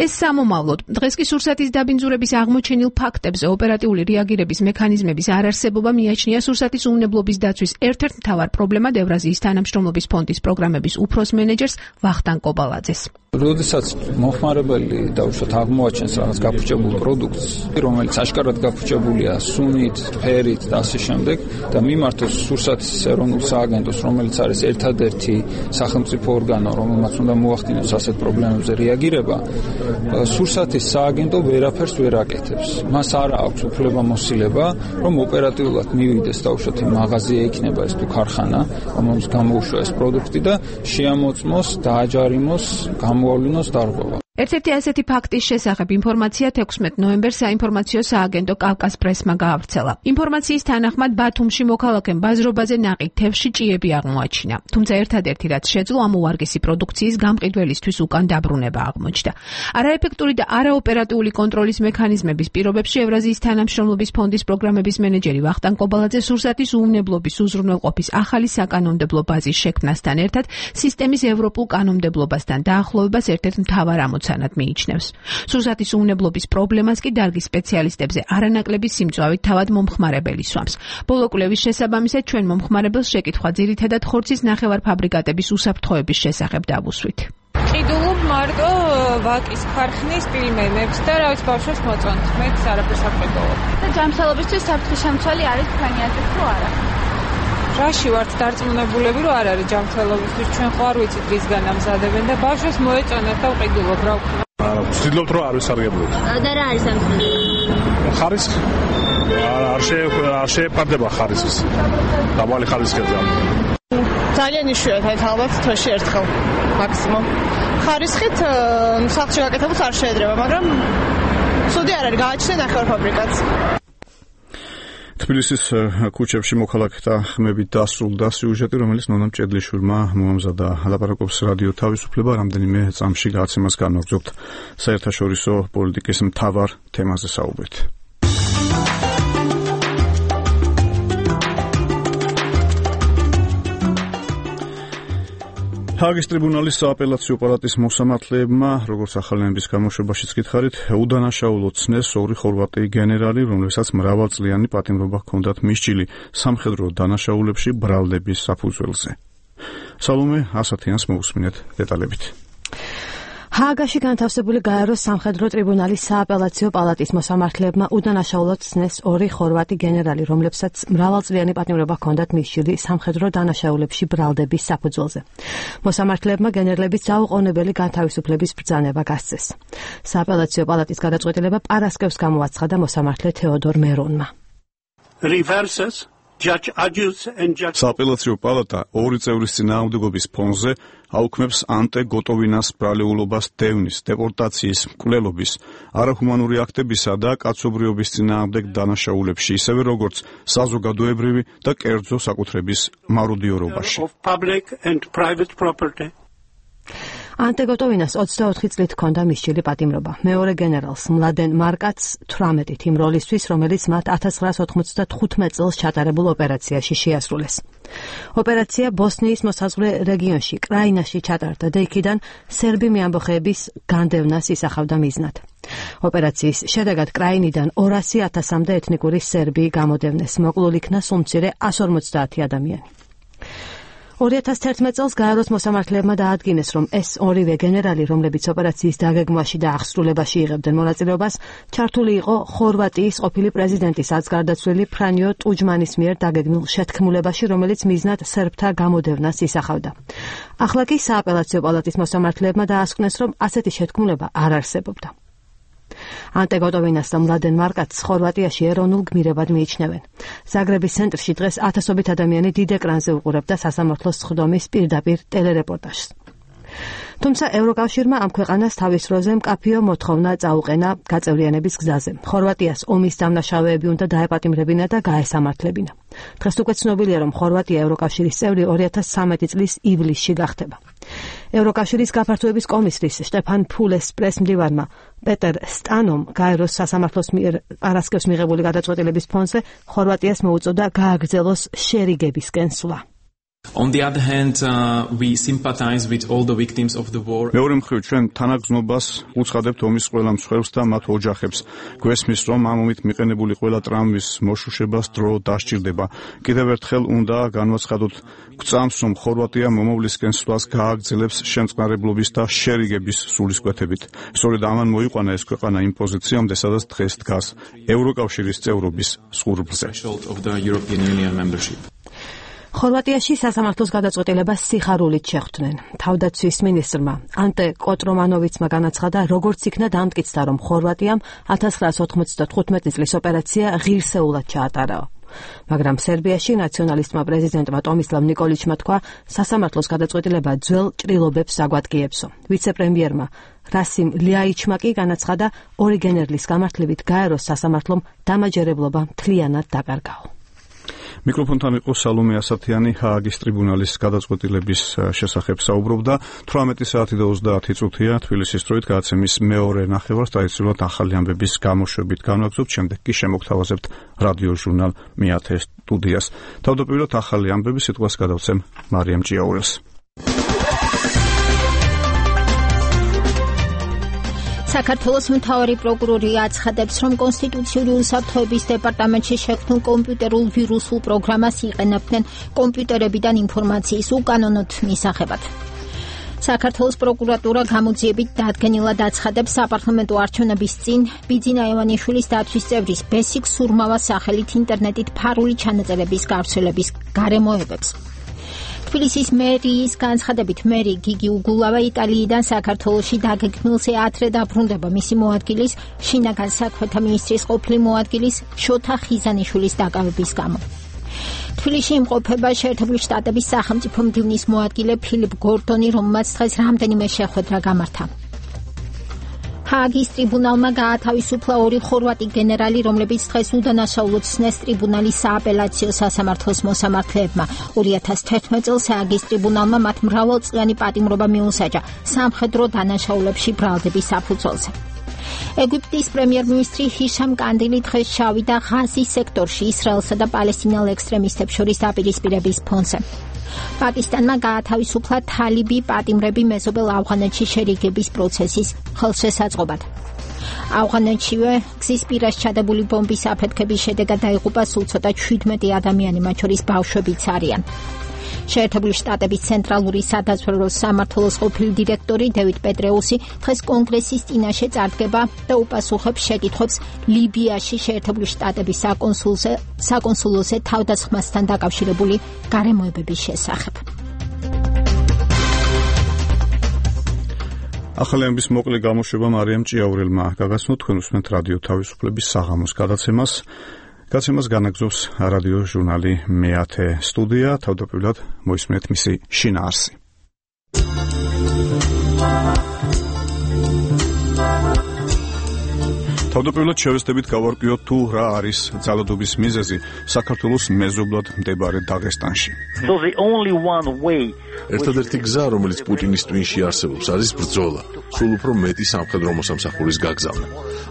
ეს სამომავლოდ დღეს კი სურსათის დაბინძურების აღმოჩენილ ფაქტებზე ოპერატიული რეაგირების მექანიზმების არარსებობა მიაჩნია სურსათის უნებლობის დაცვის ერთ-ერთ მთავარ პრობლემად ევრაზიის თანამშრომლობის ფონდის პროგრამების უფროს მენეჯერს ვახტანგ კობალაძეს. როდესაც მომხმარებელი დაუშვათ აღმოაჩენს რაღაც გაფუჭებულ პროდუქტს, რომელიც აშკარად გაფუჭებულია სუნით, ფერით და ასე შემდეგ და მიმართოს სურსათის ეროვნულ სააგენტოს, რომელიც არის ერთადერთი სახელმწიფო ორგანო, რომელმაც უნდა მოახდინოს ასეთ პრობლემებზე რეაგირება, სურსათის სააგენტო ვერაფერს ვერ აკეთებს. მას არ აქვს უფლებამოსილება, რომ ოპერატიულად მივიდეს დაუშვათ იმ მაღაზია იქნება ეს თუ ქარხანა, რომელს გამოუშვა ეს პროდუქტი და შეამოწმოს, დააჯარიმოს გამოავლინოს დარღვევა. ერთ-ერთი ასეთი ფაქტის შესახებ ინფორმაცია თექვსმეტ ნოემბერს საინფორმაციო სააგენტო კავკას პრესმა გაავრცელა. ინფორმაციის თანახმად ბათუმში მოქალაქემ ბაზრობაზე ნაყიდ თევზში ჭიები აღმოაჩინა. თუმცა ერთადერთი რაც შეძლო ამ უვარგესი პროდუქციის გამყიდველისთვის უკან დაბრუნება აღმოჩნდა. არაეფექტური და არაოპერატიული კონტროლის მექანიზმების პირობებში ევრაზიის თანამშრომლობის ფონდის პროგრამების მენეჯერი ვახტანგ კობალაძე სურსათის უვნებლობის უზრუნველყოფის ახალი საკანონმდებლო ბაზის შექმნასთან ერთად სისტემის ევროპულ კანონმდებლობასთან დაახლოვებას ერთ-ერთ მთავარ ამოცანად მიიჩნევს. სურსათის უვნებლობის პრობლემას კი დარგის სპეციალისტებზე არანაკლები სიმწვავით თავად მომხმარებელი სვამს. ბოლო კვლევის შესაბამისად ჩვენ მომხმარებელს შეკითხვა ძირითადად ხორცის ნახევარფაბრიკატების უსაფრთხოების შესახებ დავუსვით. ყიდულობ მარტო ვაკის ქარხნის პილმენებს და რა ვიცი ბავშვებს მოწონთ. მეც არაფერს არ ყიდულობ. და ჯანმრთელობისთვის საფრთხის შემცველი არის თქვენი აზრით თუ არა? რაში ვართ დარწმუნებულები, რომ არ არის ჯანმრთელობისთვის, ჩვენ ხო არ ვიცით რისგან ამზადებენ და ბავშვებს მოეწონათ და ვყიდულობ რა ვქნა. ვცდილობთ რომ არ ვისარგებლოთ. და რა არის ამ ხარისხი? ხარისხი? არ შე არ შეეფარდება ხარისხის. დაბალი ხარისხია ძალიან. ძალიან იშვიათად ალბათ თვეში ერთხელ მაქსიმუმ. ხარისხით სახლში გაკეთებულს არ შეედრება, მაგრამ ცუდი არ არის, გააჩნია ნახევარფაბრიკატს. თბილისის ქუჩებში მოქალაქეთა ხმებით დასრულდა სიუჟეტი, რომელიც ნონა მჭედლიშვილმა მოამზადა. ლაპარაკობს რადიო თავისუფლება, რამდენიმე წამში გაცემას განაგრძობთ საერთაშორისო პოლიტიკის მთავარ თემაზე საუბრით. ჰაგის ტრიბუნალის სააპელაციო პალატის მოსამართლეებმა, როგორც ახალენების გამოშვებაშიც გითხარით, უდანაშაულო ცნეს ორი ხორვატი გენერალი, რომლებსაც მრავალწლიანი პატიმრობა ჰქონდათ მისჭილი სამხედრო დანაშაულებში ბრალდების საფუძველზე. სალომე ასათიანს მოусმინეთ დეტალებით. ჰააგაში განთავსებული გაეროს სამხედრო ტრიბუნალის სააპელაციო პალატის მოსამართლეებმა უდანაშაულოდ ცნეს ორი ხორვატი გენერალი, რომლებსაც მრავალწლიანი პატიმრობა ჰქონდათ მისჭილი სამხედრო დანაშაულებში ბრალდების საფუძველზე. მოსამართლეებმა გენერლების ძალაუყოვნებელი განთავისუფლების ბრძანება გასცეს. სააპელაციო პალატის გადაწყვეტილება პარასკევს გამოაცხადა მოსამართლე თეოდორ მერონმა. Reverses Judge Agius and Judge სააპელაციო პალატა ორი წევრის წინააღმდეგობის ფონზე აუქმებს ანტე გოტოვინას ბრალეულობას დევნის, დეპორტაციის, მკვლელობის, არაჰუმანური აქტებისა და კაცობრიობის წინააღმდეგ დანაშაულებში, ისევე როგორც საზოგადოებრივი და კერძო საკუთრების მაროდიორობაში. public and private property. ანტე გოტოვინას ოცდაოთხი წლით ჰქონდა მისჭილი პატიმრობა. მეორე გენერალს მლადენ მარკატს თვრამეტით იმ როლისთვის, რომელიც მათ ათას ცხრაას ოთხმოცდათხუთმეტ წელს ჩატარებულ ოპერაციაში შეასრულეს. ოპერაცია ბოსნიის მოსაზღვრე რეგიონში, კრაინაში ჩატარდა და იქიდან სერბი მეამბოხეების განდევნას ისახავდა მიზნად. ოპერაციის შედეგად კრაინიდან ორასი ათასამდე ეთნიკური სერბი გამოდევნეს, მოკლულ იქნა სულ მცირე ასი ორმოცდაათი ადამიანი. ორი ათას თერთმეტ წელს გაეროს მოსამართლეებმა დაადგინეს, რომ ეს ორივე გენერალი, რომლებიც ოპერაციის დაგეგმვაში და აღსრულებაში იღებდნენ მონაწილეობას, ჩართული იყო ხორვატიის ყოფილი პრეზიდენტის აცგარდაცვლილი ფრანიო ტუჯმანის მიერ დაგეგმილ შეთქმულებაში, რომელიც მიზნად სერბთა გამოდევნას ისახავდა. ახლა კი სააპელაციო პალატის მოსამართლეებმა დაასკვნეს, რომ ასეთი შეთქმულება არ არსებობდა. ანტე გოტოვინას და მლადენ მარკატს ხორვატიაში ეროვნულ გმირებად მიიჩნევენ. ზაგრების ცენტრში დღეს ათასობით ადამიანი დიდ ეკრანზე უყურებდა სასამართლოს სხდომის პირდაპირ ტელერეპორტაჟს. თუმცა ევროკავშირმა ამ ქვეყანას თავის დროზე მკაფიო მოთხოვნა წაუყენა გაწევრიანების გზაზე. ხორვატიას ომის დამნაშავეები უნდა დაეპატიმრებინა და გაესამართლებინა. დღეს უკვე ცნობილია, რომ ხორვატია ევროკავშირის წევრი ორი ათას ცხრამეტი წლის ივლისში გახდება. ევროკავშირის გაფართოების კომისრის შტეფან ფულეს პრესმდივარმა პეტერ სტანომ გაეროს სასამართლოს მიერ პარასკევს მიღებული გადაწყვეტილების ფონზე ხორვატიას მოუწოდა გააგრძელოს შერიგებისკენ სვლა. On the other hand, uh, we sympathize with all the victims of the war. მეორე მხრივ ჩვენ თანაგზნობას უცხადებთ ომის ყველა მსხვერპლს და მათ ოჯახებს. გვესმის, რომ ამ ომით მიყენებული ყველა ტრამვის მოშუშებას დრო დასჭირდება. კიდევ ერთხელ უნდა განვაცხადოთ გვწამს, რომ ხორვატია მომავლისკენ სვლას გააგრძელებს შემწყნარებლობის და შერიგების სულისკვეთებით. სწორედ ამან მოიყვანა ეს ქვეყანა იმ პოზიციამდე, სადაც დღეს დგას ევროკავშირის წევრობის სხურბლზე. ხორვატიაში სასამართლოს გადაწყვეტილებას სიხარულით შეხვდნენ. თავდაცვის მინისტრმა ანტე კოტრომანოვიცმა განაცხადა, როგორც იქნა დამტკიცდა, რომ ხორვატიამ ათას ცხრაას ოთხმოცდათხუთმეტი წლის ოპერაცია ღირსეულად ჩაატარა. მაგრამ სერბიაში ნაციონალისტმა პრეზიდენტმა ტომისლავ ნიკოლიჩმა თქვა, სასამართლოს გადაწყვეტილება ძველ ჭრილობებს აგვადგიებსო. ვიცე-პრემიერმა რასიმ ლიაიჩმა კი განაცხადა, ორიგენერლის გამართლებით გაეროს სასამართლომ დამაჯერებლობა მთლიანად დაკარგაო. მიკროფონთან იყო სალომე ასათიანი, ჰააგის ტრიბუნალის გადაწყვეტილების შესახებ საუბრობდა. თვრამეტი საათი და ოცდაათი წუთია თბილისის დროით გადაცემის მეორე ნახევარს ტრადიციულად ახალი ამბების გამოშვებით განვაგრძობთ, შემდეგ კი შემოგთავაზებთ რადიო ჟურნალ მეათე სტუდიას. თავდაპირველად ახალი ამბები სიტყვას გადავცემ მარიამ ჭიაურელს. საქართველოს მთავარი პროკურორი აცხადებს, რომ კონსტიტუციური უსაფრთხოების დეპარტამენტში შექმნილ კომპიუტერულ ვირუსულ პროგრამას იყენებდნენ კომპიუტერებიდან ინფორმაციის უკანონოდ მისაღებად. საქართველოს პროკურატურა გამოძიებით დადგენილად აცხადებს საპარლამენტო არჩევნების წინ ბიძინა ევანიშვილის დაცვის წევრის ბესიკ სურმავას სახელით ინტერნეტით ფარული ჩანაწერების გავრცელების გარემოებებს. თბილისის მერიის განცხადებით მერი გიგი უგულავა იტალიიდან საქართველოში დაგეგმილზე ადრე დაბრუნდება მისი მოადგილის, შინაგან საქმეთა მინისტრის ყოფილი მოადგილის შოთა ხიზანიშვილის დაკავების გამო. თბილისში იმყოფება შეერთებული შტატების სახელმწიფო მდივნის მოადგილე ფილიპ გორდონი, რომელმაც დღეს რამდენიმე შეხვედრა გამართა. ჰააგის ტრიბუნალმა გაათავისუფლა ორი ხორვატი გენერალი, რომლებიც დღეს უდანაშაულოდ ცნეს ტრიბუნალის სააპელაციო სასამართლოს მოსამართლეებმა. ორი ათას თერთმეტ წელს ჰააგის ტრიბუნალმა მათ მრავალწლიანი პატიმრობა მიუსაჯა სამხედრო დანაშაულებში ბრალდების საფუძველზე. ეგვიპტის პრემიერ-მინისტრი ჰიშამ კანდილი დღეს შავიდა ღაზის სექტორში ისრაელსა და პალესტინელ ექსტრემისტებს შორის დაპირისპირების ფონზე. პაკისტანმა გაათავისუფლა თალიბი პატიმრები მეზობელ ავღანეთში შერიგების პროცესის ხელშესაწყობად. ავღანეთშივე გზის პირას ჩადებული ბომბის აფეთქების შედეგად დაიღუპა სულ ცოტა შვიდმეტი ადამიანი, მათ შორის ბავშვებიც არიან. შეერთებული შტატების ცენტრალური სადაზვერვო სამმართველოს ყოფილი დირექტორი დევიდ პეტრეუსი დღეს კონგრესის წინაშე წარდგება და უპასუხებს შეკითხვებს ლიბიაში შეერთებული შტატების საკონსულზე საკონსულოზე თავდასხმასთან დაკავშირებული გარემოებების შესახებ. ახალი ამბის მოკლე გამოშვება მარიამ ჭიაურელმა გაგაცნოთ. თქვენ უსმენთ რადიო თავისუფლების საღამოს გადაცემას. გადაცემას განაგზობს რადიო ჟურნალი მეათე სტუდია. თავდაპირველად მოისმენთ მისი შინაარსი. თავდაპირველად შევეცდებით გავარკვიოთ თუ რა არის ძალადობის მიზეზი საქართველოს მეზობლად მდებარე დაღესტანში. ერთადერთი გზა, რომელიც პუტინის ტვინში არსებობს, არის ბრძოლა, სულ უფრო მეტი სამხედრო მოსამსახურის გაგზავნა.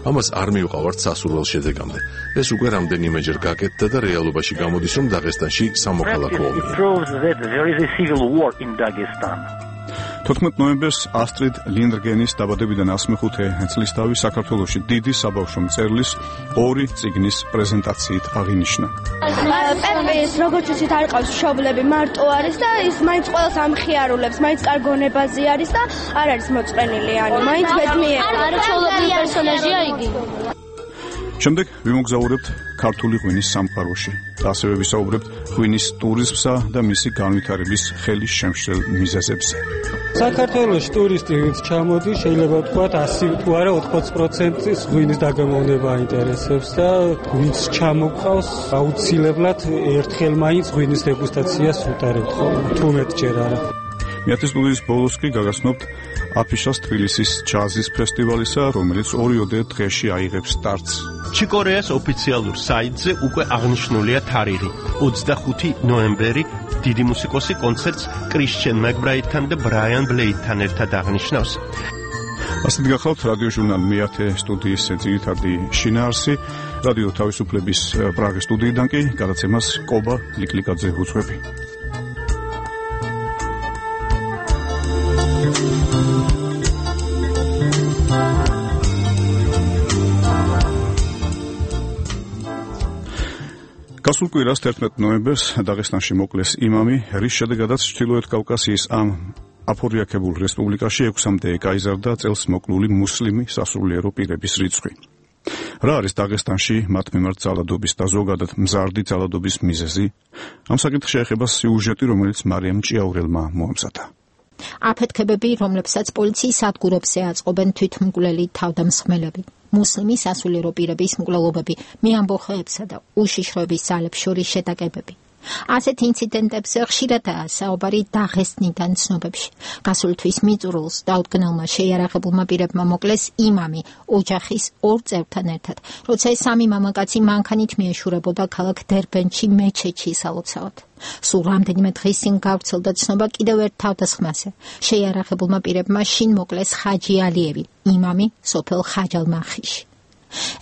ამას არ მივყავართ სასურველ შედეგამდე. ეს უკვე რამდენიმეჯერ გაკეთდა და რეალობაში გამოდის, რომ დაღესტანში სამოქალაქო ომია. თოთხმეტ ნოემბერს ასტრიდ ლინდგენის დაბადებიდან ასმეხუთე წლისთავი საქართველოში დიდი საბავშვო მწერლის ორი წიგნის პრეზენტაციით აღინიშნა. პეპეს როგორც ისეთ არ ყავს მშობლები, მარტო არის და ის მაინც ყველას ამხიარულებს, მაინც კარგონებაზე არის და არ არის მოწყენილიანი, მაინც ბედნიერია. არაჩვეულებრივი პერსონაჟია იგი. შემდეგ ვიმოგზაურებთ ქართული ღვინის სამყაროში და ასევე ვისაუბრებთ ღვინის ტურიზმსა და მისი განვითარების ხელის შემშლელ მიზეზებზე. საქართველოს ტურისტი ვინც ჩამოდის, შეიძლება ვთქვათ ასი თუ არა ოთხმოცი პროცენტის ღვინის დაგემოვნება აინტერესებს და ვინც ჩამოყავს, აუცილებლად ერთხელ მაინც ღვინის დეგუსტაციას უტარებთ, თუ მეტჯერ არა. მეათე სტუდიის ბოლოს კი გაგაცნობთ აფიშას თბილისის ჯაზის ფესტივალისა, რომელიც ორიოდე დღეში აიღებს სტარტს. ჩიკორეას ოფიციალურ საიტზე უკვე აღნიშნულია თარიღი ოცდახუთი ნოემბერი. დიდი მუსიკოსი კონცერტს კრისჩენ მაკბრაიდთან და ბრაიან ბლეიდთან ერთად აღნიშნავს. ასეთ გახლავთ რადიო ჟურნალ მეათე სტუდიის ძირითადი შინაარსი. რადიო თავისუფლების პრაღის სტუდიიდან კი გადაცემას კობა ლიკლიკაძე უძღვები. გასულ კვირას თერთმეტ ნოემბერს დაღესტანში მოკლეს იმამი, რის შედეგადაც ჩრდილოეთ კავკასიის ამ აფორიაქებულ რესპუბლიკაში ექვსამდე გაიზარდა წელს მოკლული მუსლიმი სასულიერო პირების რიცხვი. რა არის დაღესტანში მათ მიმართ ძალადობის და ზოგადად მზარდი ძალადობის მიზეზი? ამ საკითხში ეხება სიუჟეტი, რომელიც მარიამ ჭიაურელმა მოამზადა. აფეთქებები, რომლებსაც პოლიციის სადგურებზე აწყობენ თვითმკვლელი თავდამსხმელები, მუსლიმი სასულიერო პირების მკვლელობები, მეამბოხეებსა და უშიშროების ძალებს შორის შეტაკებები. ასეთ ინციდენტებზე ხშირადაა საუბარი დაღესტნიდან ცნობებში. გასული თვის მიწურულს დაუდგენელმა შეიარაღებულმა პირებმა მოკლეს იმამი ოჯახის ორ წევრთან ერთად, როცა ეს სამი მამაკაცი მანქანით მიეშურებოდა ქალაქ დერბენში მეჩეთში სალოცავად. სულ რამდენიმე დღის წინ გავრცელდა ცნობა კიდევ ერთ თავდასხმაზე. შეიარაღებულმა პირებმა შინ მოკლეს ხაჯი ალიევი, იმამი სოფელ ხაჯალმახიში.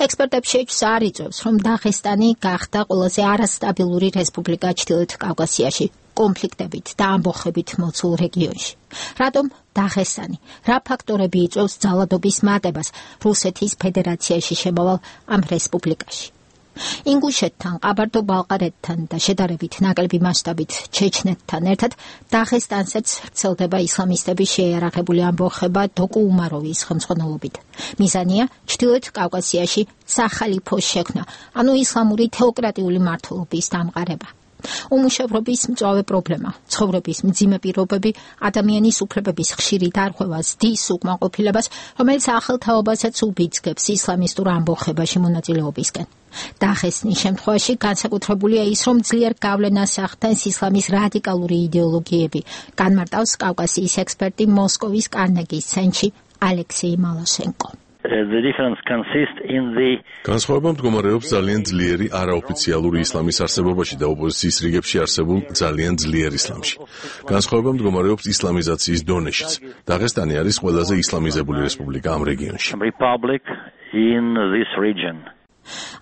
ექსპერტებს შეჭს არ იწევს, რომ დაღესტანი გახდა ყველაზე არასტაბილური რესპუბლიკა ჩრდილოეთ კავკასიაში, კონფლიქტებით და ამბოხებით მოცულ რეგიონში. რატომ დაღესტანი? რა ფაქტორები იწვევს ძალადობის მატებას რუსეთის ფედერაციაში შემავალ ამ რესპუბლიკაში? ინგუშეთთან, ყაბარდო-ბალყარეთთან და შედარებით ნაკლები მასშტაბით ჩეჩნეთთან ერთად დაღესტანსაც ვრცელდება ისლამისტების შეიარაღებული ამბოხება დოკუ უმაროვის ხელმძღვანელობით. მიზანია ჩრდილოეთ კავკასიაში სახალიფოს შექმნა, ანუ ისლამური თეოკრატიული მმართველობის დამყარება. უმუშევრობის მწვავე პრობლემა, ცხოვრების მძიმე პირობები, ადამიანის უფლებების ხშირი დარღვევა ზრდის უკმაყოფილებას, რომელიც ახალ თაობასაც უბიძგებს ისლამისტურ ამბოხებაში მონაწილეობისკენ. დაღესტნის შემთხვევაში განსაკუთრებულია ის, რომ ძლიერ გავლენას ახდენს ისლამის რადიკალური იდეოლოგიები, განმარტავს კავკასიის ექსპერტი მოსკოვის კარნეგის ცენტრში ალექსეი მალაშენკო. The difference consists in the განსხვავება მდგომარეობს ძალიან ძლიერი არაოფიციალური ისლამის არსებობაში და ოპოზიციის რიგებში არსებულ ძალიან ძლიერ ისლამში. განსხვავება მდგომარეობს ისლამიზაციის დონეშიც. დაღესტანი არის ყველაზე ისლამიზებული რესპუბლიკა ამ რეგიონში. Republic in this region.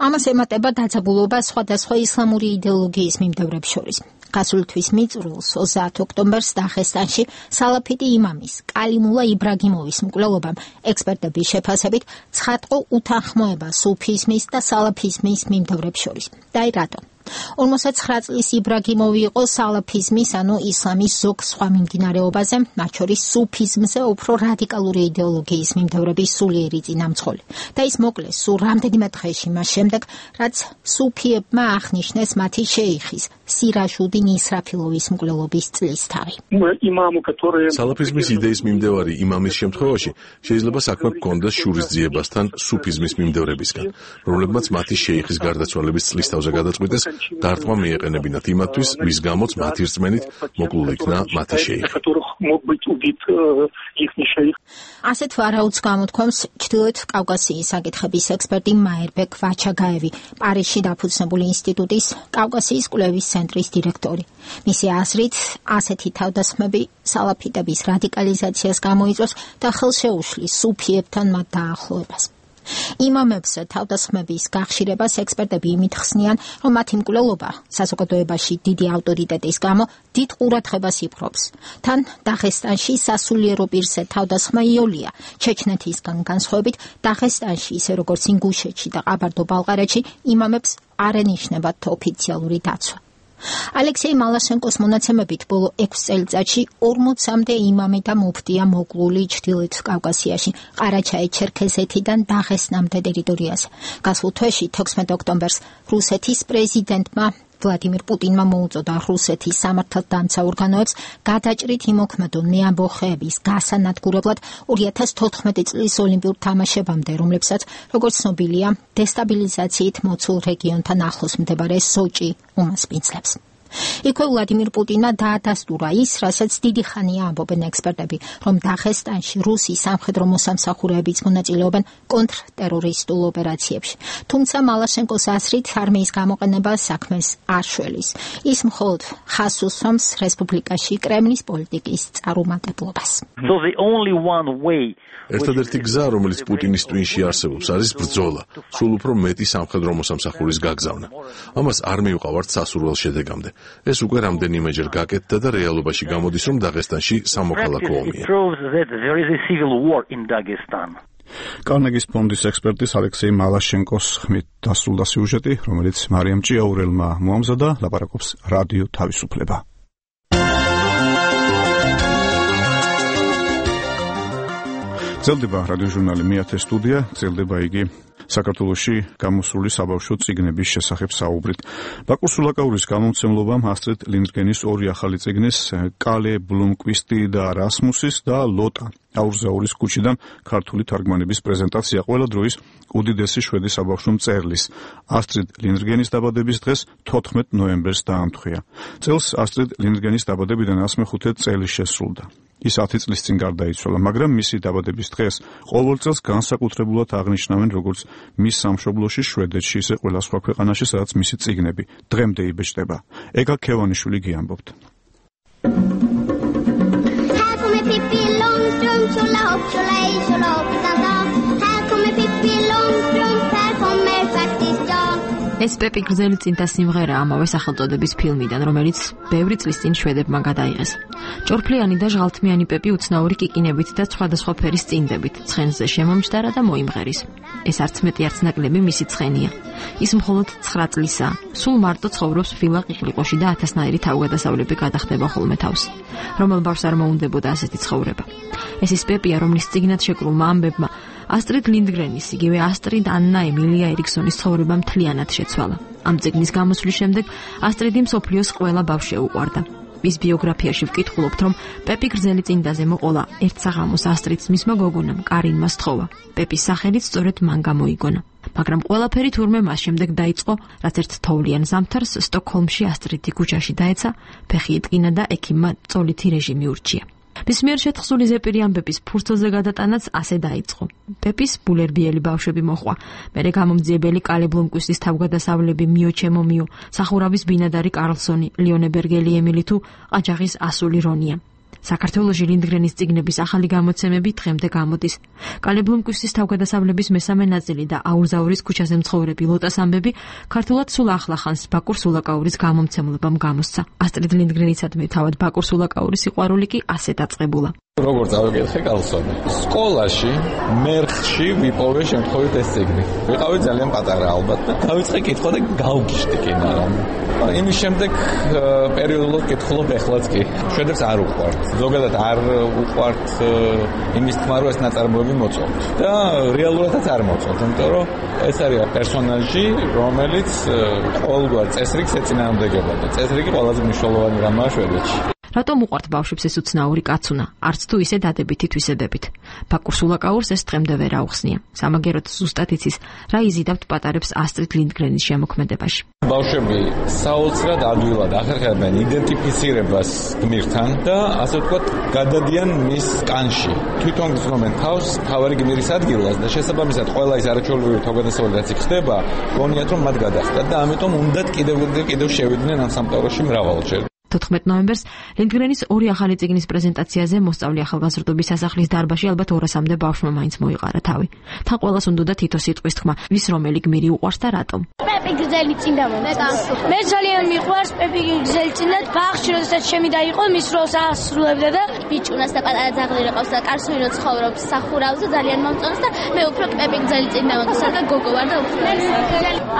ამას ემატება დაძაბულობა სხვადასხვა ისლამური იდეოლოგიის მიმდევრებს შორის. გასული თვის მიწურულს ოცდაათი ოქტომბერს დაღესტანში სალაფიტი იმამის კალიმულა იბრაგიმოვის მკვლელობამ ექსპერტების შეფასებით ცხადყო უთანხმოება სუფიზმის და სალაფიზმის მიმდევრებს შორის. და აი რატომ? ორმოცდაცხრა წლის იბრაგიმოვი იყო სალაფიზმის, ანუ ისლამის ზოგ სხვა მიმდინარეობაზე, მათ შორის სუფიზმზე უფრო რადიკალური იდეოლოგიის მიმდევრების სულიერი წინამძღოლი. და ის მოკლეს სულ რამდენიმე დღეში მას შემდეგ, რაც სუფიებმა აღნიშნეს მათი შეიხის სირაჟუდინ ისრაფილოვის მკვლელობის წლისთავი. სალაფიზმის იდეის მიმდევარი იმამის შემთხვევაში შეიძლება საქმე ჰქონდეს შურისძიებასთან სუფიზმის მიმდევრებისგან, რომლებმაც მათი შეიხის გარდაცვალების წლისთავზე გადაწყვიტეს დარტყმა მიეყენებინათ იმათთვის, ვის გამოც მათი რწმენით მოკლულ იქნა მათი შეიხი. ასეთ ვარაუდს გამოთქვამს ჩრდილოეთ კავკასიის საკითხების ექსპერტი მაერბეკ ვაჩაგაევი, პარიზში დაფუძნებული ინსტიტუტის კავკასიის კვლევის ცენტრის დირექტორი. მისი აზრით, ასეთი თავდასხმები სალაფიტების რადიკალიზაციას გამოიწვევს და ხელშეუშლის სუფიებთან მათ დაახლოებას. იმამებს თავდასხმების გახშირებას ექსპერტები იმით ხსნიან, რომ მათი მკვლელობა საზოგადოებაში დიდი ავტორიტეტის გამო დიდ ყურადღებას იპყრობს. თან დაღესტანში სასულიერო პირზე თავდასხმა იოლია. ჩეჩნეთისგან განსხვავებით, დაღესტანში, ისე როგორც ინგუშეთში და ყაბარდო-ბალყარეთში, იმამებს არ ენიშნებათ ოფიციალური დაცვა. ალექსეი მალაშენკოს მონაცემებით ბოლო ექვს წელიწადში ორმოცამდე იმამი და მუფტია მოკლული ჩრდილოეთ კავკასიაში, ყარაჩაი-ჩერქეზეთიდან დაღესტნამდე ტერიტორიაზე. გასულ თვეში თექვსმეტი ოქტომბერს რუსეთის პრეზიდენტმა ვლადიმირ პუტინმა მოუწოდა რუსეთის სამართალდამცა ორგანოებს გადაჭრით იმოქმედონ მეამბოხეების გასანადგურებლად ორი ათას თოთხმეტი წლის ოლიმპიურ თამაშებამდე, რომლებსაც, როგორც ცნობილია, დესტაბილიზაციით მოცულ რეგიონთან ახლოს მდებარე სოჭი უმასპინძლებს. იქვე ვლადიმირ პუტინმა დაადასტურა ის, რასაც დიდი ხანია ამბობენ ექსპერტები, რომ დაღესტანში რუსი სამხედრო მოსამსახურეებიც მონაწილეობენ კონტრტერორისტულ ოპერაციებში. თუმცა მალაშენკოს აზრით არმიის გამოყენება საქმეს არ შველის. ის მხოლოდ ხაზს უსვამს რესპუბლიკაში კრემლის პოლიტიკის წარუმატებლობას. So the only one way ერთადერთი გზა, რომელიც პუტინის ტვინში არსებობს, არის ბრძოლა, სულ უფრო მეტი სამხედრო მოსამსახურის გაგზავნა. ამას არ მივყავართ სასურველ შედეგამდე. ეს უკვე რამდენიმეჯერ გაკეთდა და რეალობაში გამოდის, რომ დაღესტანში სამოქალაქო ომია. კარნეგის ფონდის ექსპერტის ალექსეი მალაშენკოს ხმით დასრულდა სიუჟეტი, რომელიც მარიამ ჭიაურელმა მოამზადა, ლაპარაკობს რადიო თავისუფლება. გრძელდება რადიოჟურნალი მეათე სტუდია, გრძელდება იგი საქართველოში გამოსული საბავშვო წიგნების შესახებ საუბრით. ბაკურ სულაკაურის გამომცემლობამ ასტრიდ ლინდგენის ორი ახალი წიგნის, კალე ბლუმკვისტი და რასმუსის და ლოტა აურზაურის ქუჩიდან ქართული თარგმანების პრეზენტაცია ყველა დროის უდიდესი შვედი საბავშვო მწერლის ასტრიდ ლინდგენის დაბადების დღეს თოთხმეტ ნოემბერს დაამთხვია. წელს ასტრიდ ლინდგენის დაბადებიდან ასმეხუთე წელი შესრულდა. ის ათი წლის წინ გარდაიცვალა, მაგრამ მისი დაბადების დღეს ყოველ წელს განსაკუთრებულად აღნიშნავენ როგორც მის სამშობლოში შვედეთში, ისე ყველა სხვა ქვეყანაში, სადაც მისი წიგნები დღემდე იბეჭდება. ეგა ქევანიშვილი გიამბობთ. ეს პეპი გრძელი წინთა სიმღერა ამავე სახელწოდების ფილმიდან, რომელიც ბევრი წლის წინ შვედებმა გადაიღეს. ჭორფლიანი და ჟღალთმიანი პეპი უცნაური კიკინებით და სხვადასხვა ფერის წინდებით ცხენზე შემომჯდარა და მოიმღერის. ეს არც მეტი არც ნაკლები მისი ცხენია. ის მხოლოდ ცხრა წლისაა. სულ მარტო ცხოვრობს ვილა ყიყლიყოში და ათასნაირი თავგადასავლები გადახდება ხოლმე თავს. რომელ ბავშვს არ მოუნდებოდა ასეთი ცხოვრება. ეს ის პეპია, რომლის წიგნად შეკრულმა ამბებმა ასტრიდ ლინდგრენის, იგივე ასტრიდ ანნა ემილია ერიქსონის ცხოვრება მთლიანად შეცვალა. ამ წიგნის გამოსვლის შემდეგ ასტრიდი მსოფლიოს ყველა ბავშვს შეუყვარდა. მის ბიოგრაფიაში ვკითხულობთ, რომ პეპი გრძელი წინდაზე მოყოლა ერთ საღამოს ასტრიდს მისმა გოგონამ კარინმა სთხოვა. პეპის სახელით სწორედ მან გამოიგონა. მაგრამ ყველაფერი თურმე მას შემდეგ დაიწყო, რაც ერთ თოვლიან ზამთარს სტოკჰოლმში ასტრიდი ქუჩაში დაეცა, ფეხი იტკინა და ექიმმა წოლითი რეჟიმი ურჩია. მის მიერ შეთხზული ზეპირი ამბების ფურცელზე გადატანაც ასე დაიწყო. პეპის ბულერბიელი ბავშვები მოხვა, მერე გამომძიებელი კალე ბლუმკვისტის თავგადასავლები მიო ჩემო მიო, სახურავის ბინადარი კარლსონი, ლიონებერგელი ემილი თუ ყაჯაღის ასული რონია. საქართველოში ლინდგრენის წიგნების ახალი გამოცემები დღემდე გამოდის. კალე ბლუმკვისტის თავგადასავლების მესამე ნაწილი და აურზაურის ქუჩაზე მცხოვრები ლოტას ამბები ქართულად სულ ახლახანს ბაკურ სულაკაურის გამომცემლობამ გამოსცა. ასტრიდ ლინდგრენიცადმი თავად ბაკურ სულაკაურის სიყვარული კი ასე დაწყებულა. როგორც ავიკითხე კალსონი. სკოლაში მერხში ვიპოვე შემთხვევით ეს წიგნი. ვიყავი ძალიან პატარა ალბათ და დავიწყე კითხვა და გავგიშდი კი, მაგრამ იმის შემდეგ პერიოდულად კითხულობ ეხლაც კი. შვედებს არ უყვართ. ზოგადად არ უყვართ იმის თქმა, რომ ეს ნაწარმოები მოწონთ. და რეალურადაც არ მოწონთ, იმიტომ რომ ეს არის პერსონაჟი, რომელიც ყოველგვარ წესრიგს ეწინააღმდეგება და წესრიგი ყველაზე მნიშვნელოვანი რამაა შვედეთში. რატომ უყვართ ბავშვებს ეს უცნაური კაცუნა, არც თუ ისე დადებითი თვისებებით. ბაკურ სულაკაურს ეს დღემდე ვერ აუხსნია. სამაგეროდ ზუსტად იცის, რა იზიდავთ პატარებს ასტრიდ ლინდგრენის შემოქმედებაში. ბავშვები საოცრად ადვილად ახერხებენ იდენტიფიცირებას გმირთან და ასე ვთქვათ, გადადიან მის კანში. თვითონ გრძნობენ თავს თავარი გმირის ადგილას და შესაბამისად ყველა ის არაჩვეულებრივი თავგადასავალი რაც იქ ხდება, გონიათ რომ მათ გადახდათ და ამიტომ უნდათ კიდევ კიდევ შევიდნენ ამ სამყაროში მრავალჯერ. თოთხმეტ ნოემბერს ლინდგრენის ორი ახალი წიგნის პრეზენტაციაზე მოსწავლე ახალგაზრდობის სასახლის დარბაზში ალბათ ორასამდე ბავშვმა მაინც მოიყარა თავი. თან ყველას უნდა თითო სიტყვის თქმა, ვის რომელი გმირი უყვარს და რატომ. პეპი გრძელი წინდა მომწონს. მე ძალიან მიყვარს პეპი გრძელი წინდა, ბაღში როდესაც ჩემი დაიყო, მის როლს ასრულებდა და ბიჭუნას და პატარა ძაღლი ყავს და კარსონი რო ცხოვრობს სახურავზე ძალიან მომწონს და მე უფრო პეპი გრძელი წინდა მომწონს და გოგო ვარ და უფრო.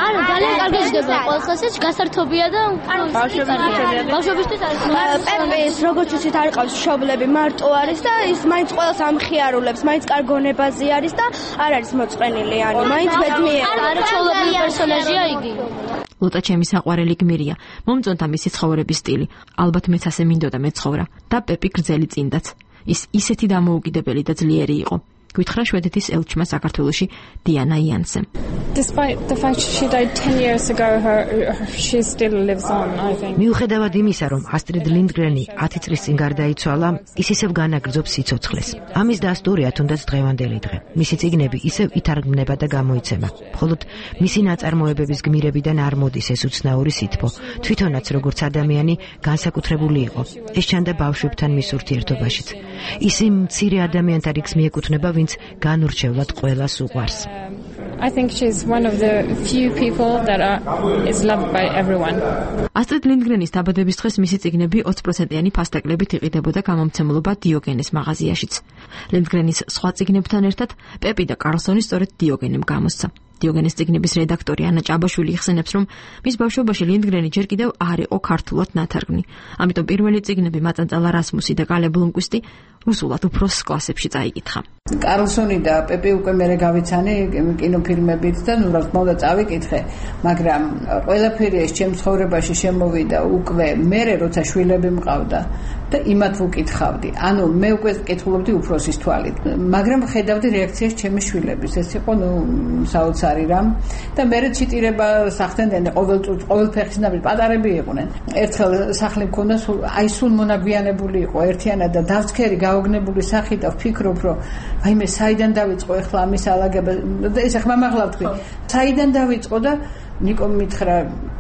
არა, ძალიან კარგი ჯდება, ყოველთვის გასართობია და ბავშვები პეპის როგორც ვთქვით არ ყავს მშობლები, მარტო არის და ის მაინც ყველას ამხიარულებს, მაინც კარგონებაზე არის და არ არის მოწყენილიანი, მაინც ბედნიერია. არაჩვეულებრივი პერსონაჟია იგი. ლოტა ჩემი საყვარელი გმირია. მომწონდა მისი ცხოვრების სტილი. ალბათ მეც ასე მინდოდა მეცხოვრა და პეპი გრძელი წინდაც. ის ისეთი დამოუკიდებელი და ძლიერი იყო. გითხრა შვედეთის ელჩმა საქართველოში დიანა იანსემ. Despite the fact she died ten years ago, her, she still lives on, I think. მიუხედავად იმისა, რომ ასტრიდ ლინდგრენი ათი წლის წინ გარდაიცვალა, ის ისევ განაგრძობს სიცოცხლეს. ამის დასტურია თუნდაც დღევანდელი დღე. მისი წიგნები ისევ ითარგმნება და გამოიცემა. მხოლოდ მისი ნაწარმოებების გმირებიდან არ მოდის ეს უცნაური სითბო. თვითონაც როგორც ადამიანი განსაკუთრებული იყო. ეს ჩანდა ბავშვებთან მის ურთიერთობაშიც. ის იმ მცირე ადამიანთა რიგს მიეკუთვნება, ვინც განურჩევლად ყველას უყვარს. I think she's one of the few people that are is loved by everyone. Astrid Lindgrenis დაბადების დღეს მისი წიგნები ოცი პროცენტიანი ფასტაკლებით იყიდებოდა გამომცემლობა დიოგენეს მაღაზიაშიც. Lindgrenis სხვა წიგნებთან ერთად პეპი და კარლსონი სწორედ დიოგენემ გამოსცა. დიოგენეს წიგნების რედაქტორი ანა ჭაბაშვილი იხსენებს, რომ მის ბავშვობაში ლინდგრენი ჯერ კიდევ არ იყო ქართულად ნათარგმნი. ამიტომ პირველი წიგნები მაწანწალა რასმუსი და კალე ბლომკვისტი რუსულად უფროს კლასებში წაიკითხა. კარლსონი და პეპი უკვე მერე გავიცანი კინოფილმებით და ნუ რა თქმა უნდა წავიკითხე, მაგრამ ყველაფერი ეს ჩემ ცხოვრებაში შემოვიდა უკვე მერე როცა შვილები მყავდა და იმათ ვუკითხავდი. ანუ მე უკვე კითხულობდი უფროსის თვალით, მაგრამ ხედავდი რეაქციას ჩემი შვილების. ეს იყო ნუ საოცარი რამ და მერე ციტირება სახდენდნენ ყოველ ყოველ ფეხის ნაბიჯ პატარები იყვნენ. ერთხელ სახლი მქონდა აი სულ მონაგვიანებული იყო ერთიანად და დავცქერი გაოგნებული სახი და ვფიქრობ რომ აი მე საიდან დავიწყო ახლა ამის ალაგება და ეს ახლა მაღლა ვთქვი საიდან დავიწყო და ნიკომ მითხრა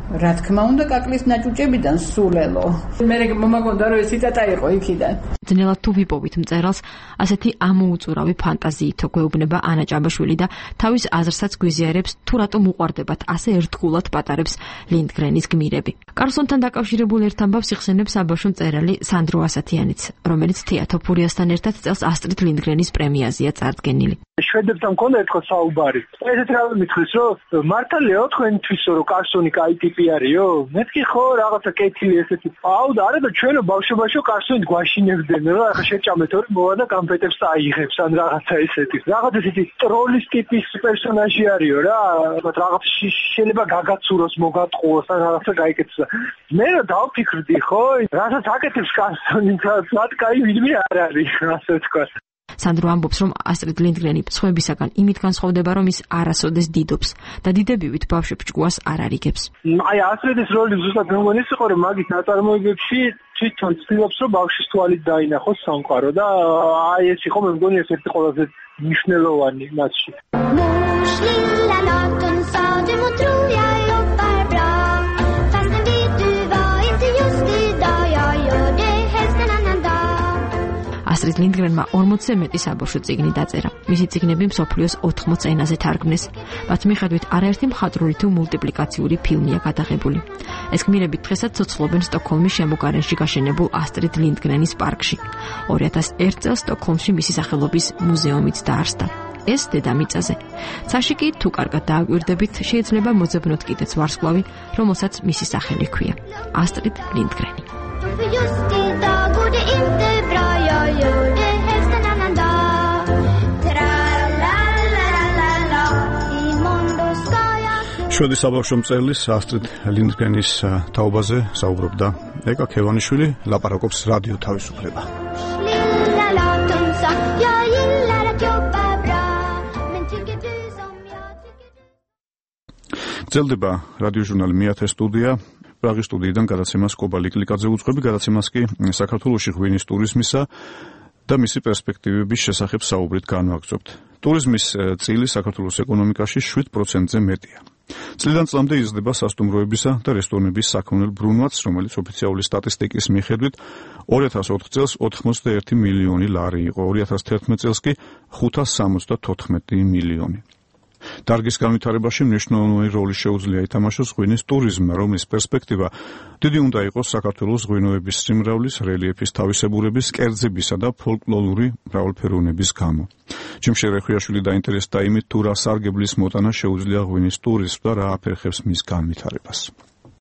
რა თქმა უნდა კაკლის ნაჭუჭებიდან სულელო მე მომაგონდა რომ ეს ციტატა იყო იქიდან ძნელად თუ ვიპოვით მწერალს ასეთი ამოუწურავი ფანტაზიითო გვეუბნება ანა ჭაბაშვილი და თავის აზრსაც გვიზიარებს თუ რატომ უყვარდებათ ასე ერთგულად პატარებს ლინდგრენის გმირები კარლსონთან დაკავშირებულ ერთ ამბავს იხსენებს საბავშვო მწერალი სანდრო ასათიანიც რომელიც თეატრო ფურიასთან ერთად წელს ასტრიდ ლინდგრენის პრემიაზეა წარდგენილი შვედებთან მქონდა ერთხელ საუბარი ესეთ რა მითხრის რომ მართალია თქვენთვის რომ კარლსონი კაი ტიპი არისო მეთქი ხო რაღაცა კეთილი ესეთი აუ და არა და ჩვენო ბავშვობაშო კარლსონით გვაშინებდნენ რა ახლა შეჭამეთ ორი მოვა და გამფეტებს აიღებს ან რაღაცა ესეთი რაღაც ესეთი ტროლის ტიპის პერსონაჟი არისო რა რაღაც შეიძლება გაგაცუროს მოგატყუოს ან რაღაცა გაიკეთოს მე რა დავფიქრდი ხო რასაც აკეთებს კარლსონი თათ კაი ვინმე არ არის ასე თქვა სანდრო ამბობს, რომ ასტრიდ ლინდგრენი სხვებისაგან იმით განსხვავდება, რომ ის არასოდეს დიდობს და დიდებივით ბავშვებს ჭკუას არ არიგებს. აი ასტრიდის როლი ზუსტად მეგონის იყო, რომ მაგის ნაწარმოებებში თვითონ ცდილობს, რომ ბავშვის თვალით დაინახოს სამყარო და აი ეს იყო მე მგონი ერთ-ერთი ყველაზე მნიშვნელოვანი მასში. ასტრიდ ლინდგრენმა ორმოცზე მეტი საბავშვო წიგნი დაწერა. მისი წიგნები მსოფლიოს ოთხმოც ენაზე თარგმნეს. მათ მიხედვით არაერთი მხატვრული თუ მულტიპლიკაციური ფილმია გადაღებული. ეს გმირები დღესაც ცოცხლობენ სტოკჰოლმის შემოგარენში გაშენებულ ასტრიდ ლინდგრენის პარკში. ორი ათას ერთ წელს სტოკჰოლმში მისი სახელობის მუზეუმიც დაარსდა. ეს დედამიწაზე. ცაში კი თუ კარგად დააკვირდებით, შეიძლება მოძებნოთ კიდეც ვარსკვლავი, რომელსაც მისი სახელი ჰქვია. ასტრიდ ლინდგრენი. შვედის საბავშვო მწერლის ასტრიდ ლინდგრენის თაობაზე საუბრობდა ეკა ქევანიშვილი, ლაპარაკობს რადიო თავისუფლება. გრძელდება რადიო ჟურნალი მეათე სტუდია. პრაღის სტუდიიდან გადაცემას კობა ლიკლიკაძე უძღვები, გადაცემას კი საქართველოში ღვინის ტურიზმისა და მისი პერსპექტივების შესახებ საუბრით განვაგრძობთ. ტურიზმის წილი საქართველოს ეკონომიკაში შვიდ პროცენტზე მეტია. წლიდან წლამდე იზრდება სასტუმროებისა და რესტორნების საქონელ ბრუნვაც, რომელიც ოფიციალური სტატისტიკის მიხედვით ორი ათას ოთხ წელს ოთხმოცდაერთი მილიონი ლარი იყო, ორი ათას თერთმეტ წელს კი ხუთას სამოცდათოთხმეტი მილიონი. დარგის განვითარებაში მნიშვნელოვანი როლი შეუძლია ითამაშოს ღვინის ტურიზმმა, რომლის პერსპექტივა დიდი უნდა იყოს საქართველოს ღვინოების სიმრავლის, რელიეფის თავისებურების, კერძებისა და ფოლკლორული მრავალფეროვნების გამო. ჯიმშე რეხვიაშვილი დაინტერესდა იმით, თუ რა სარგებლის მოტანა შეუძლია ღვინის ტურიზმს და რა აფერხებს მის განვითარებას.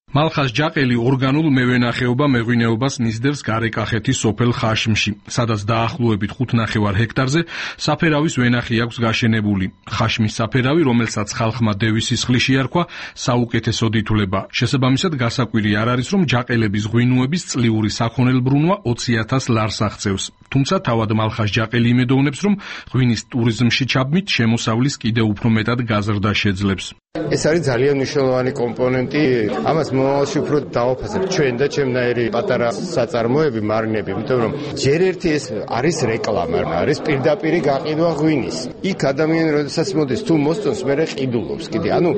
მალხაზ ჯაყელი ორგანულ მევენახეობა მეღვინეობას მისდევს გარეკახეთის სოფელ ხაშმში, სადაც დაახლოებით ხუთ ნახევარ ჰექტარზე საფერავის ვენახი აქვს გაშენებული. ხაშმის საფერავი, რომელსაც ხალხმა დევის სისხლი შეარქვა, საუკეთესოდ ითვლება. შესაბამისად, გასაკვირი არ არის, რომ ჯაყელების ღვინოების წლიური საქონელბრუნვა ოცი ათას ლარს აღწევს. თუმცა თავად მალხაზ ჯაყელი იმედოვნებს, რომ ღვინის ტურიზმში ჩაბმით შემოსავლის კიდევ უფრო მეტად გაზრდა შეძლებს. ეს არის ძალიან მნიშვნელოვანი კომპონენტი. ამას მომავალში უფრო დავაფასებ ჩვენ და ჩემნაირი პატარა საწარმოები, მარნები, იმიტომ რომ ჯერ ერთი ეს არის რეკლამა, არის პირდაპირი გაყიდვა ღვინის. იქ ადამიანი როდესაც მოდის თუ მოსწონს, მერე ყიდულობს კიდე. ანუ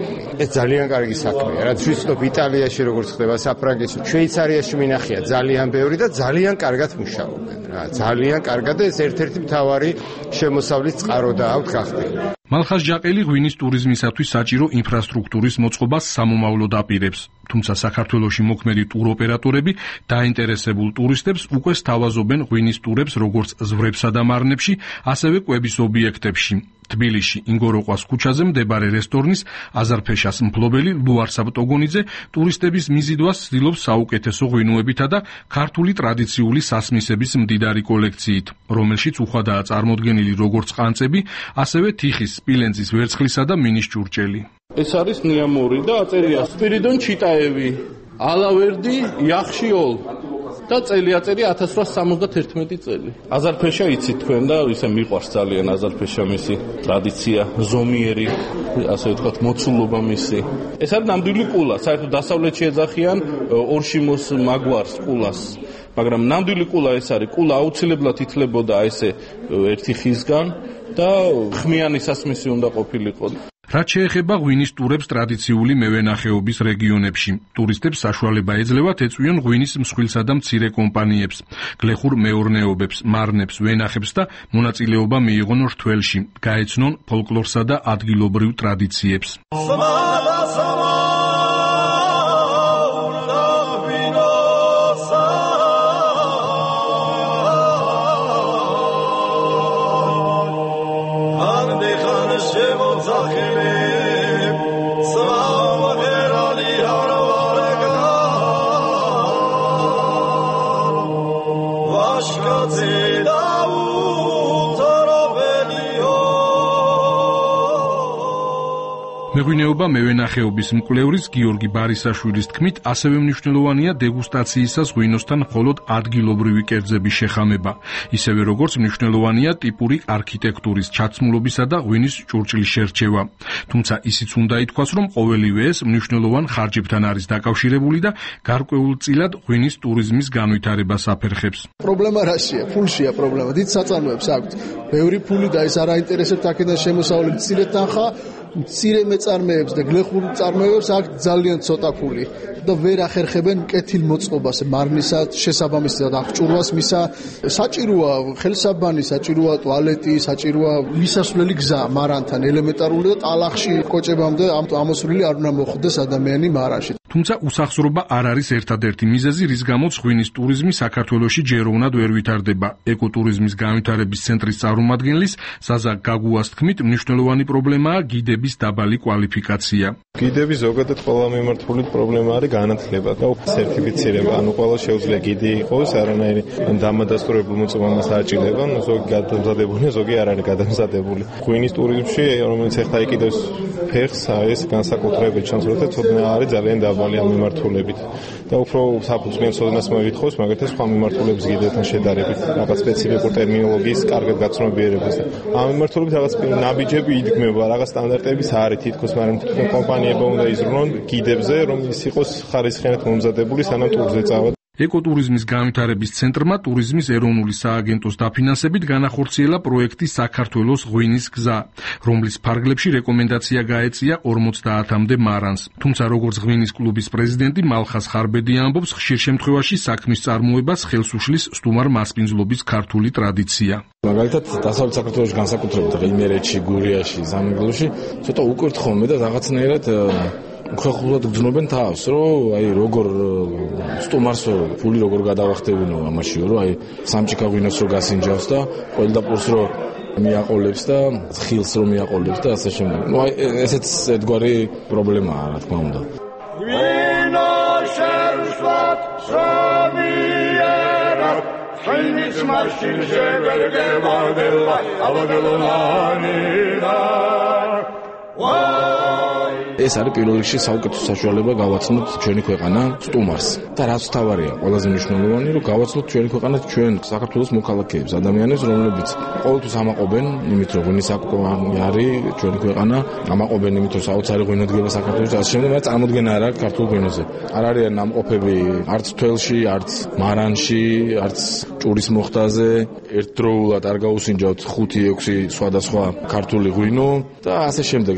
ეს ძალიან კარგი საქმეა. რაც ვიცნობ იტალიაში როგორც ხდება, საფრანგეთში, შვეიცარიაში მინახია ძალიან ბევრი და ძალიან კარგად მუშაობენ. რა, ძალიან კარგად და ეს ერთ-ერთი მთავარი შემოსავლის წყარო და აქვთ გახდილი. მალხაზ ჯაყელი ღვინის ტურიზმისათვის საჭირო ინფრასტრუქტურის მოწყობას სამომავლოდ აპირებს. თუმცა საქართველოში მოქმედი ტუროპერატორები დაინტერესებულ ტურისტებს უკვე სთავაზობენ ღვინის ტურებს როგორც ზვრებსა და მარნებში, ასევე კვების ობიექტებში. თბილისში ინგოროყვას ქუჩაზე მდებარე რესტორნის აზარფეშას მფლობელი ლუარ საბტოგონიძე ტურისტების მიზიდვას ცდილობს საუკეთესო ღვინოებითა და ქართული ტრადიციული სასმისების მდიდარი კოლექციით, რომელშიც უხვადაა წარმოდგენილი როგორც ყანწები, ასევე თიხის, სპილენძის ვერცხლისა და მინის ჭურჭელი. ეს არის ნიამორი და აწერია სპირიდონ ჩიტაევი, ალავერდი იახშიოლ და წელი აწერი ათას რვაასი სამოცდაერთმეტი წელი. აზარფეშა იცით თქვენ და ისე მიყვარს ძალიან აზარფეშა მისი ტრადიცია, ზომიერი, ასე ვთქვათ, მოცულობა მისი. ეს არის ნამდვილი კულა, საერთოდ დასავლეთში ეძახიან ორშიმოს მაგვარს კულას. მაგრამ ნამდვილი კულა ეს არის, კულა აუცილებლად ითვლებოდა ესე ერთი ხისგან და ხმიანი სასმისი უნდა ყოფილიყო. რაც შეეხება ღვინის ტურებს ტრადიციული მევენახეობის რეგიონებში, ტურისტებს საშუალება ეძლევათ ეწვიონ ღვინის მსხვილსა და მცირე კომპანიებს, გლეხურ მეურნეობებს, მარნებს, ვენახებს და მონაწილეობა მიიღონ რთველში, გაეცნონ ფოლკლორსა და ადგილობრივ ტრადიციებს. მეღვინეობა მევენახეობის მკვლევრის გიორგი ბარისაშვილის თქმით, ასევე მნიშვნელოვანია დეგუსტაციისას ღვინოსთან მხოლოდ ადგილობრივი კერძების შეხამება, ისევე როგორც მნიშვნელოვანია ტიპური არქიტექტურის ჩაცმულობისა და ღვინის ჭურჭლის შერჩევა. თუმცა ისიც უნდა ითქვას, რომ ყოველივე ეს მნიშვნელოვან ხარჯებთან არის დაკავშირებული და გარკვეულწილად ღვინის ტურიზმის განვითარებას აფერხებს. პრობლემა რაშია? ფულშია პრობლემა. დიდ საწარმოებს აქვთ. ბევრი ფული და ეს არ აინტერესებთ აქედან შემოსავლელი მცირე თანხა, მცირე მეწარმეებს და გლეხურ წარმოებებს აქვს ძალიან ცოტა ფული და ვერ ახერხებენ კეთილ მოწყობას, მარნისა შესაბამისად აღჭურვას მისა. საჭიროა ხელსაბანი, საჭიროა ტუალეტი, საჭიროა მისასვლელი გზა მარანთან ელემენტარული და ტალახში კოჭებამდე ამოსვლილი არ უნდა მოხდეს ადამიანი მარანში. თუმცა უსახსრობა არ არის ერთადერთი მიზეზი, რის გამოც ღვინის ტურიზმი საქართველოში ჯეროვნად ვერ ვითარდება. ეკოტურიზმის განვითარების ცენტრის წარმომადგენლის ზაზა გაგუას თქმით, მნიშვნელოვანი პრობლემაა გიდების დაბალი კვალიფიკაცია. გიდები ზოგადად ყველა მიმართულით პრობლემა არის განათლება და სერტიფიცირება. ანუ ყველა შეუძლია გიდი იყოს, არანაირი დამადასტურებულ მოწმობას აჭირდება, ზოგი გადამზადებული, ზოგი არ არის გადამზადებული. ღვინის ტურიზმში, რომელიც ახლა იკიდებს ფეხს, ეს განსაკუთრებით ჩანს, რომ ცოდნა არის ძალიან დაბალი ამ მიმართულებით. და უფრო საფუძვლიან ცოდნას მოითხოვს, მაგალითად სხვა მიმართულების გიდებთან შედარებით, რაღაც სპეციფიკურ ტერმინოლოგიის კარგად გაცნობიერებას. ამ მიმართულებით რაღაც ნაბიჯები იდგმება, რაღაც სტანდარტების არის თითქოს, მაგრამ კომპანიებმა უნდა იზრუნონ გიდებზე, რომ ის იყოს ხარისხიანად მომზადებული, სანამ ტურზე წავა. ეკოტურიზმის განვითარების ცენტრმა ტურიზმის ეროვნული სააგენტოს დაფინანსებით განახორციელა პროექტი საქართველოს ღვინის გზა, რომლის ფარგლებში რეკომენდაცია გაეწია ორმოცდაათამდე მარანს. თუმცა როგორც ღვინის კლუბის პრეზიდენტი მალხაზ ხარბედი ამბობს, ხშირ შემთხვევაში საქმის წარმოებას ხელს უშლის სტუმარ მასპინძლობის ქართული ტრადიცია. მაგალითად, დასავლეთ საქართველოში განსაკუთრებით იმერეთში, გურიაში, სამეგრელოში ცოტა უკურთხოვნე და რაღაცნაირად უხეხულად გძნობენ თავს, რომ აი როგორ სტუმარსო ფული როგორ გადავახტებინო ამაშიო, რომ აი სამჭიქა ღვინოს რო გასინჯავს და ყველდაპირს რო მიაყოლებს და ხილს რო მიაყოლებს და ასე შემდეგ. ნუ აი ესეც ერთგვარი პრობლემაა, რა თქმა უნდა. ღვინო შევსვათ სამიერა ღვინის მაშინ შევერგებადება ავადელონანიდა ეს არის პირველ რიგში საუკეთესო საშუალება გავაცნოთ ჩვენი ქვეყანა სტუმარს. და რაც თავარია, ყველაზე მნიშვნელოვანი, რომ გავაცნოთ ჩვენი ქვეყანა ჩვენ საქართველოს მოქალაქეებს, ადამიანებს, რომლებიც ყოველთვის ამაყობენ იმით, რომ ღვინის საკუთარი არის ჩვენი ქვეყანა, ამაყობენ იმით, რომ საოცარი ღვინო დგება საქართველოში, ასე შემდეგ, მაგრამ წარმოდგენა არ აქვს ქართულ ღვინოზე. არ არიან ნამყოფები არც თველში, არც მარანში, არც ჭურის მოხტაზე, ერთდროულად არ გაუსინჯავთ ხუთი ექვსი სხვადასხვა ქართული ღვინო და ასე შემდეგ.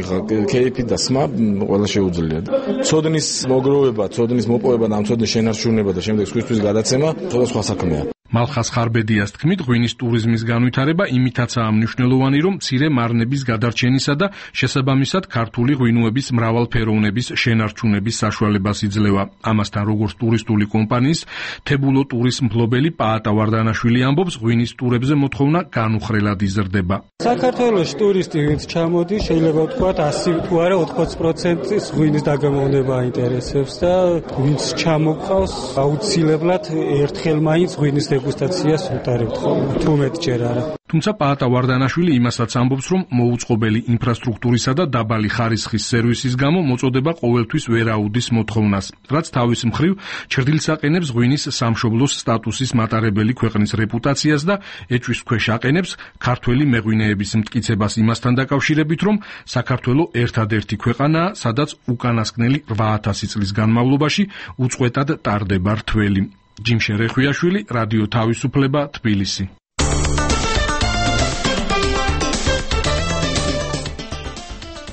კეიფი და სმა ყველა შეუძლია. ცოდნის მოგროვება, ცოდნის მოპოვება და ამ ცოდნის შენარჩუნება და შემდეგ სხვისთვის გადაცემა, სხვა სხვა საქმეა. მალხას ხარბედიას თქმით, ღვინის ტურიზმის განვითარება იმითაცაა მნიშვნელოვანი, რომ მცირე მარნების გადარჩენისა და შესაბამისად ქართული ღვინოების მრავალფეროვნების შენარჩუნების საშუალებას იძლევა. ამასთან, როგორც ტურისტული კომპანიის თებულო ტურის მფლობელი პაატა ვარდანაშვილი ამბობს, ღვინის ტურებზე მოთხოვნა განუხრელად იზრდება. საქართველოს ტურისტი ვინც ჩამოდის, შეიძლება ვთქვათ ასი თუ არა ოთხმოცი პროცენტის ღვინის დაგემოვნება აინტერესებს და ვინც ჩამოყავს, აუცილებლად ერთხელ მაინც ღვინის დეგუსტაციას უტარებთ ხოლმე, თუ მეტჯერ არა. თუმცა პაატა ვარდანაშვილი იმასაც ამბობს, რომ მოუწყობელი ინფრასტრუქტურისა და დაბალი ხარისხის სერვისის გამო მოწოდება ყოველთვის ვერ აუდის მოთხოვნას, რაც თავის მხრივ ჩრდილს აყენებს ღვინის სამშობლოს სტატუსის მატარებელი ქვეყნის რეპუტაციას და ეჭვის ქვეშ აყენებს ქართველი მეღვინეების მტკიცებას იმასთან დაკავშირებით, რომ საქართველო ერთადერთი ქვეყანაა, სადაც უკანასკნელი რვა ათასი წლის განმავლობაში უწყვეტად ტარდება რთველი. ჯიმშე რეხვიაშვილი, რადიო თავისუფლება, თბილისი.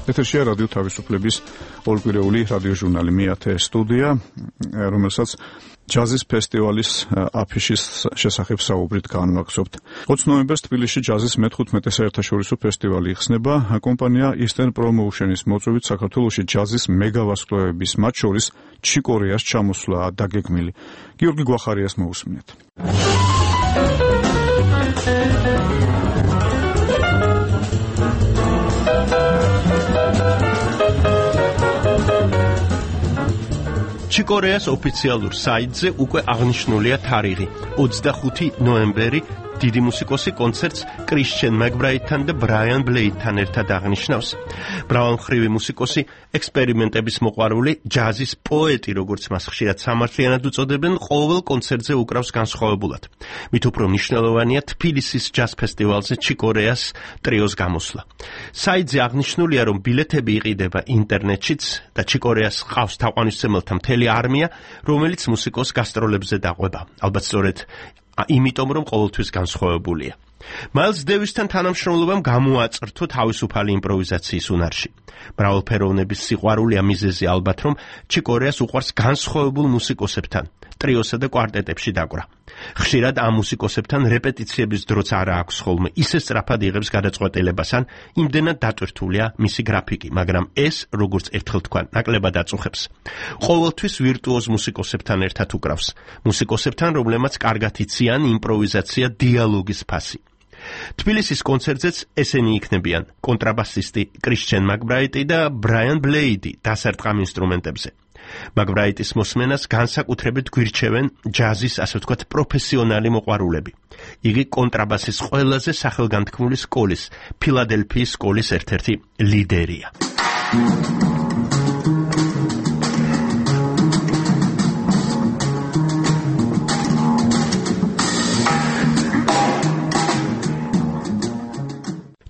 ეთერშია რადიო თავისუფლების ორკვირეული რადიოჟურნალი მეათე სტუდია, რომელსაც ჯაზის ფესტივალის აფიშის შესახებ საუბრით განვაგრძობთ. ოცი ნოემბერს თბილისში ჯაზის მეთხუთმეტე საერთაშორისო ფესტივალი იხსნება. კომპანია Eastern Promotion-ის მოწვევით საქართველოში ჯაზის მეგავარსკვლავების, მათ შორის ჩიკორეას ჩამოსვლაა დაგეგმილი. გიორგი გვახარიას მოусმინეთ. ჩიკორეას ოფიციალურ საიტზე უკვე აღნიშნულია თარიღი ოცდახუთი ნოემბერი. დიდი მუსიკოსი კონცერტს კრისჩენ მაკბრაიტთან და ბრაიან ბლეიდთან ერთად აღნიშნავს. მრავალმხრივი მუსიკოსი, ექსპერიმენტების მოყვარული, ჯაზის პოეტი, როგორც მას ხშირად სამართლიანად უწოდებენ, ყოველ კონცერტზე უკრავს განსხვავებულად. მით უფრო მნიშვნელოვანია თბილისის ჯაზ ფესტივალზე ჩიკორეას ტრიოს გამოსვლა. საიტზე აღნიშნულია, რომ ბილეთები იყიდება ინტერნეტშიც და ჩიკორეას ყავს თაყვანისმცემელთა მთელი არმია, რომელიც მუსიკოს გასტროლებზე დაყვება. ალბათ სწორედ იმიტომ, რომ ყოველთვის განსხვავებულია. მაილს დევისთან თანამშრომლობამ გამოაწრთო თავისუფალი იმპროვიზაციის უნარში. მრავალფეროვნების სიყვარულია მიზეზი ალბათ, რომ ჩიკორეას უყვარს განსხვავებულ მუსიკოსებთან, ტრიოსა და კვარტეტებში დაკვრა. ხშირად ამ მუსიკოსებთან რეპეტიციების დროც არა აქვს ხოლმე ისე სწრაფად იღებს გადაწყვეტილებას, ან იმდენად დატვირთულია მისი გრაფიკი, მაგრამ ეს, როგორც ერთხელ თქვა, ნაკლებად აწუხებს. ყოველთვის ვირტუოზ მუსიკოსებთან ერთად უკრავს, მუსიკოსებთან, რომლებმაც კარგად იციან იმპროვიზაცია, დიალოგის ფასი. თბილისის კონცერტზეც ესენი იქნებიან კონტრაბასისტი კრისჩენ მაკბრაიტი და ბრაიან ბლეიდი დასარტყამ ინსტრუმენტებზე. მაკბრაიტის მოსმენას განსაკუთრებით გვირჩევენ ჯაზის, ასე ვთქვათ, პროფესიონალი მოყვარულები. იგი კონტრაბასის ყველაზე სახელგანთქმული სკოლის, ფილადელფიის სკოლის ერთ-ერთი ლიდერია.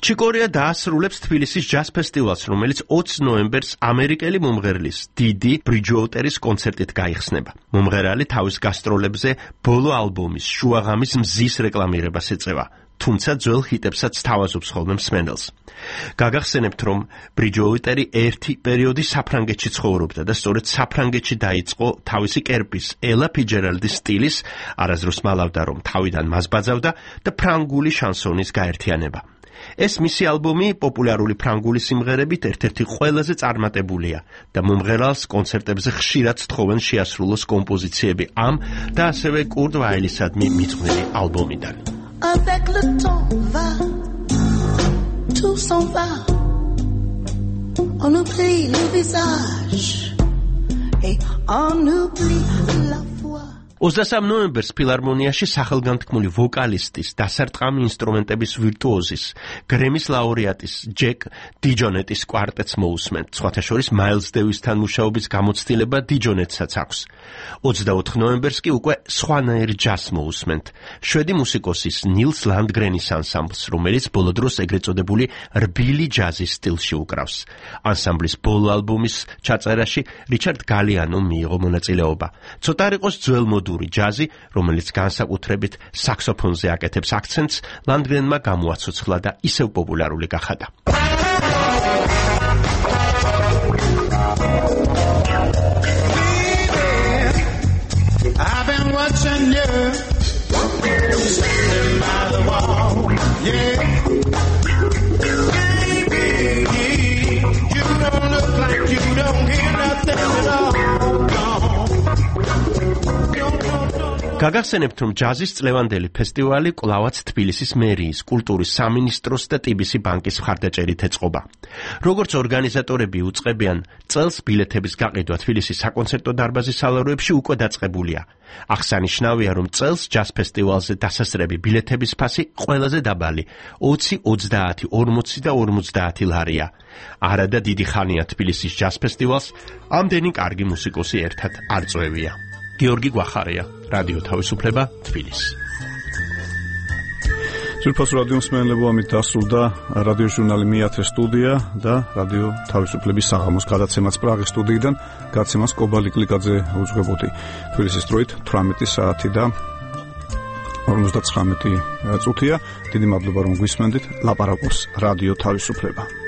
ჩიკორეა დაასრულებს თბილისის ჯაზ ფესტივალს, რომელიც ოცი ნოემბერს ამერიკელი მომღერლის დიდი ბრიჯუოტერის კონცერტით გაიხსნება. მომღერალი თავის გასტროლებზე ბოლო ალბომის შუაღამის მზის რეკლამირებას ეწევა, თუმცა ძველ ჰიტებსაც თავაზობს ხოლმე მსმენელს. გაგახსენებთ, რომ ბრიჯუოტერი ერთი პერიოდი საფრანგეთში ცხოვრობდა და სწორედ საფრანგეთში დაიწყო თავისი კერპის, ელა ფიჯერალდის სტილის, არასდროს მალავდა, რომ თავიდან მას ბაძავდა და ფრანგული შანსონის გაერთიანება. ეს მისი ალბომი პოპულარული ფრანგული სიმღერებით ერთ-ერთი ყველაზე წარმატებულია და მომღერალს კონცერტებზე ხშირად სთხოვენ შეასრულოს კომპოზიციები ამ და ასევე კურტ ვაილისადმი მიძღვნილი ალბომიდან. Avec le temps va, tout s'en va, on oublie le visage et on oublie la foi. ოცდასამი ნოემბერს ფილარმონიაში სახელგანთქმული ვოკალისტის, დასარტყამი ინსტრუმენტების ვირტუოზის, გრემის ლაურეატის ჯეკ დიჯონეტის კვარტეტს მოусმენთ. სხვათა შორის მაილს დევისთან მუშაობის გამოცდილება დიჯონეტსაც აქვს. ოცდაოთხი ნოემბერს კი უკვე სხვანაირ ჯაზს მოусმენთ. შვედი მუსიკოსის ნილს ლანდგრენის ანსამბლს, რომელიც ბოლო დროს ეგრეთ წოდებული რბილი ჯაზის სტილში უკრავს. ანსამბლის ბოლო ალბომის ჩაწერაში რიჩარდ გალიანომ მიიღო მონაწილეობა. ცოტა არ იყოს ძველ ჯაზი, რომელიც განსაკუთრებით საქსოფონზე აკეთებს აქცენტს, ლანდგრენმა გამოაცოცხლა და ისევ პოპულარული გახადა. I've been watching you standing by the wall. Yeah, baby, you don't look like you don't hear nothing at all. გაგახსენებთ, რომ ჯაზის წლევანდელი ფესტივალი კვლავაც თბილისის მერიის, კულტურის სამინისტროს და ტიბისი ბანკის მხარდაჭერით ეწყობა. როგორც ორგანიზატორები უწყებიან, წელს ბილეთების გაყიდვა თბილისის საკონცერტო დარბაზის სალაროებში უკვე დაწყებულია. აღსანიშნავია, რომ წელს ჯაზ ფესტივალზე დასასრები ბილეთების ფასი ყველაზე დაბალი ოცი, ოცდაათი, ორმოცი და ორმოცდაათი ლარია. არადა დიდი ხანია თბილისის ჯაზ ფესტივალს ამდენი კარგი მუსიკოსი ერთად არ წვევია. გიორგი გვახარია, რადიო თავისუფლება, თბილისი. ძვირფას რადიო მსმენელებო, ამით დასრულდა რადიო ჟურნალი მეათე სტუდია და რადიო თავისუფლების საღამოს გადაცემაც პრაღის სტუდიიდან. გადაცემას კობალი კლიკაძე უძღვებოდი. თბილისის დროით თვრამეტი საათი და ორმოცდაცხრამეტი წუთია. დიდი მადლობა, რომ გვისმენდით. ლაპარაკობს რადიო თავისუფლება.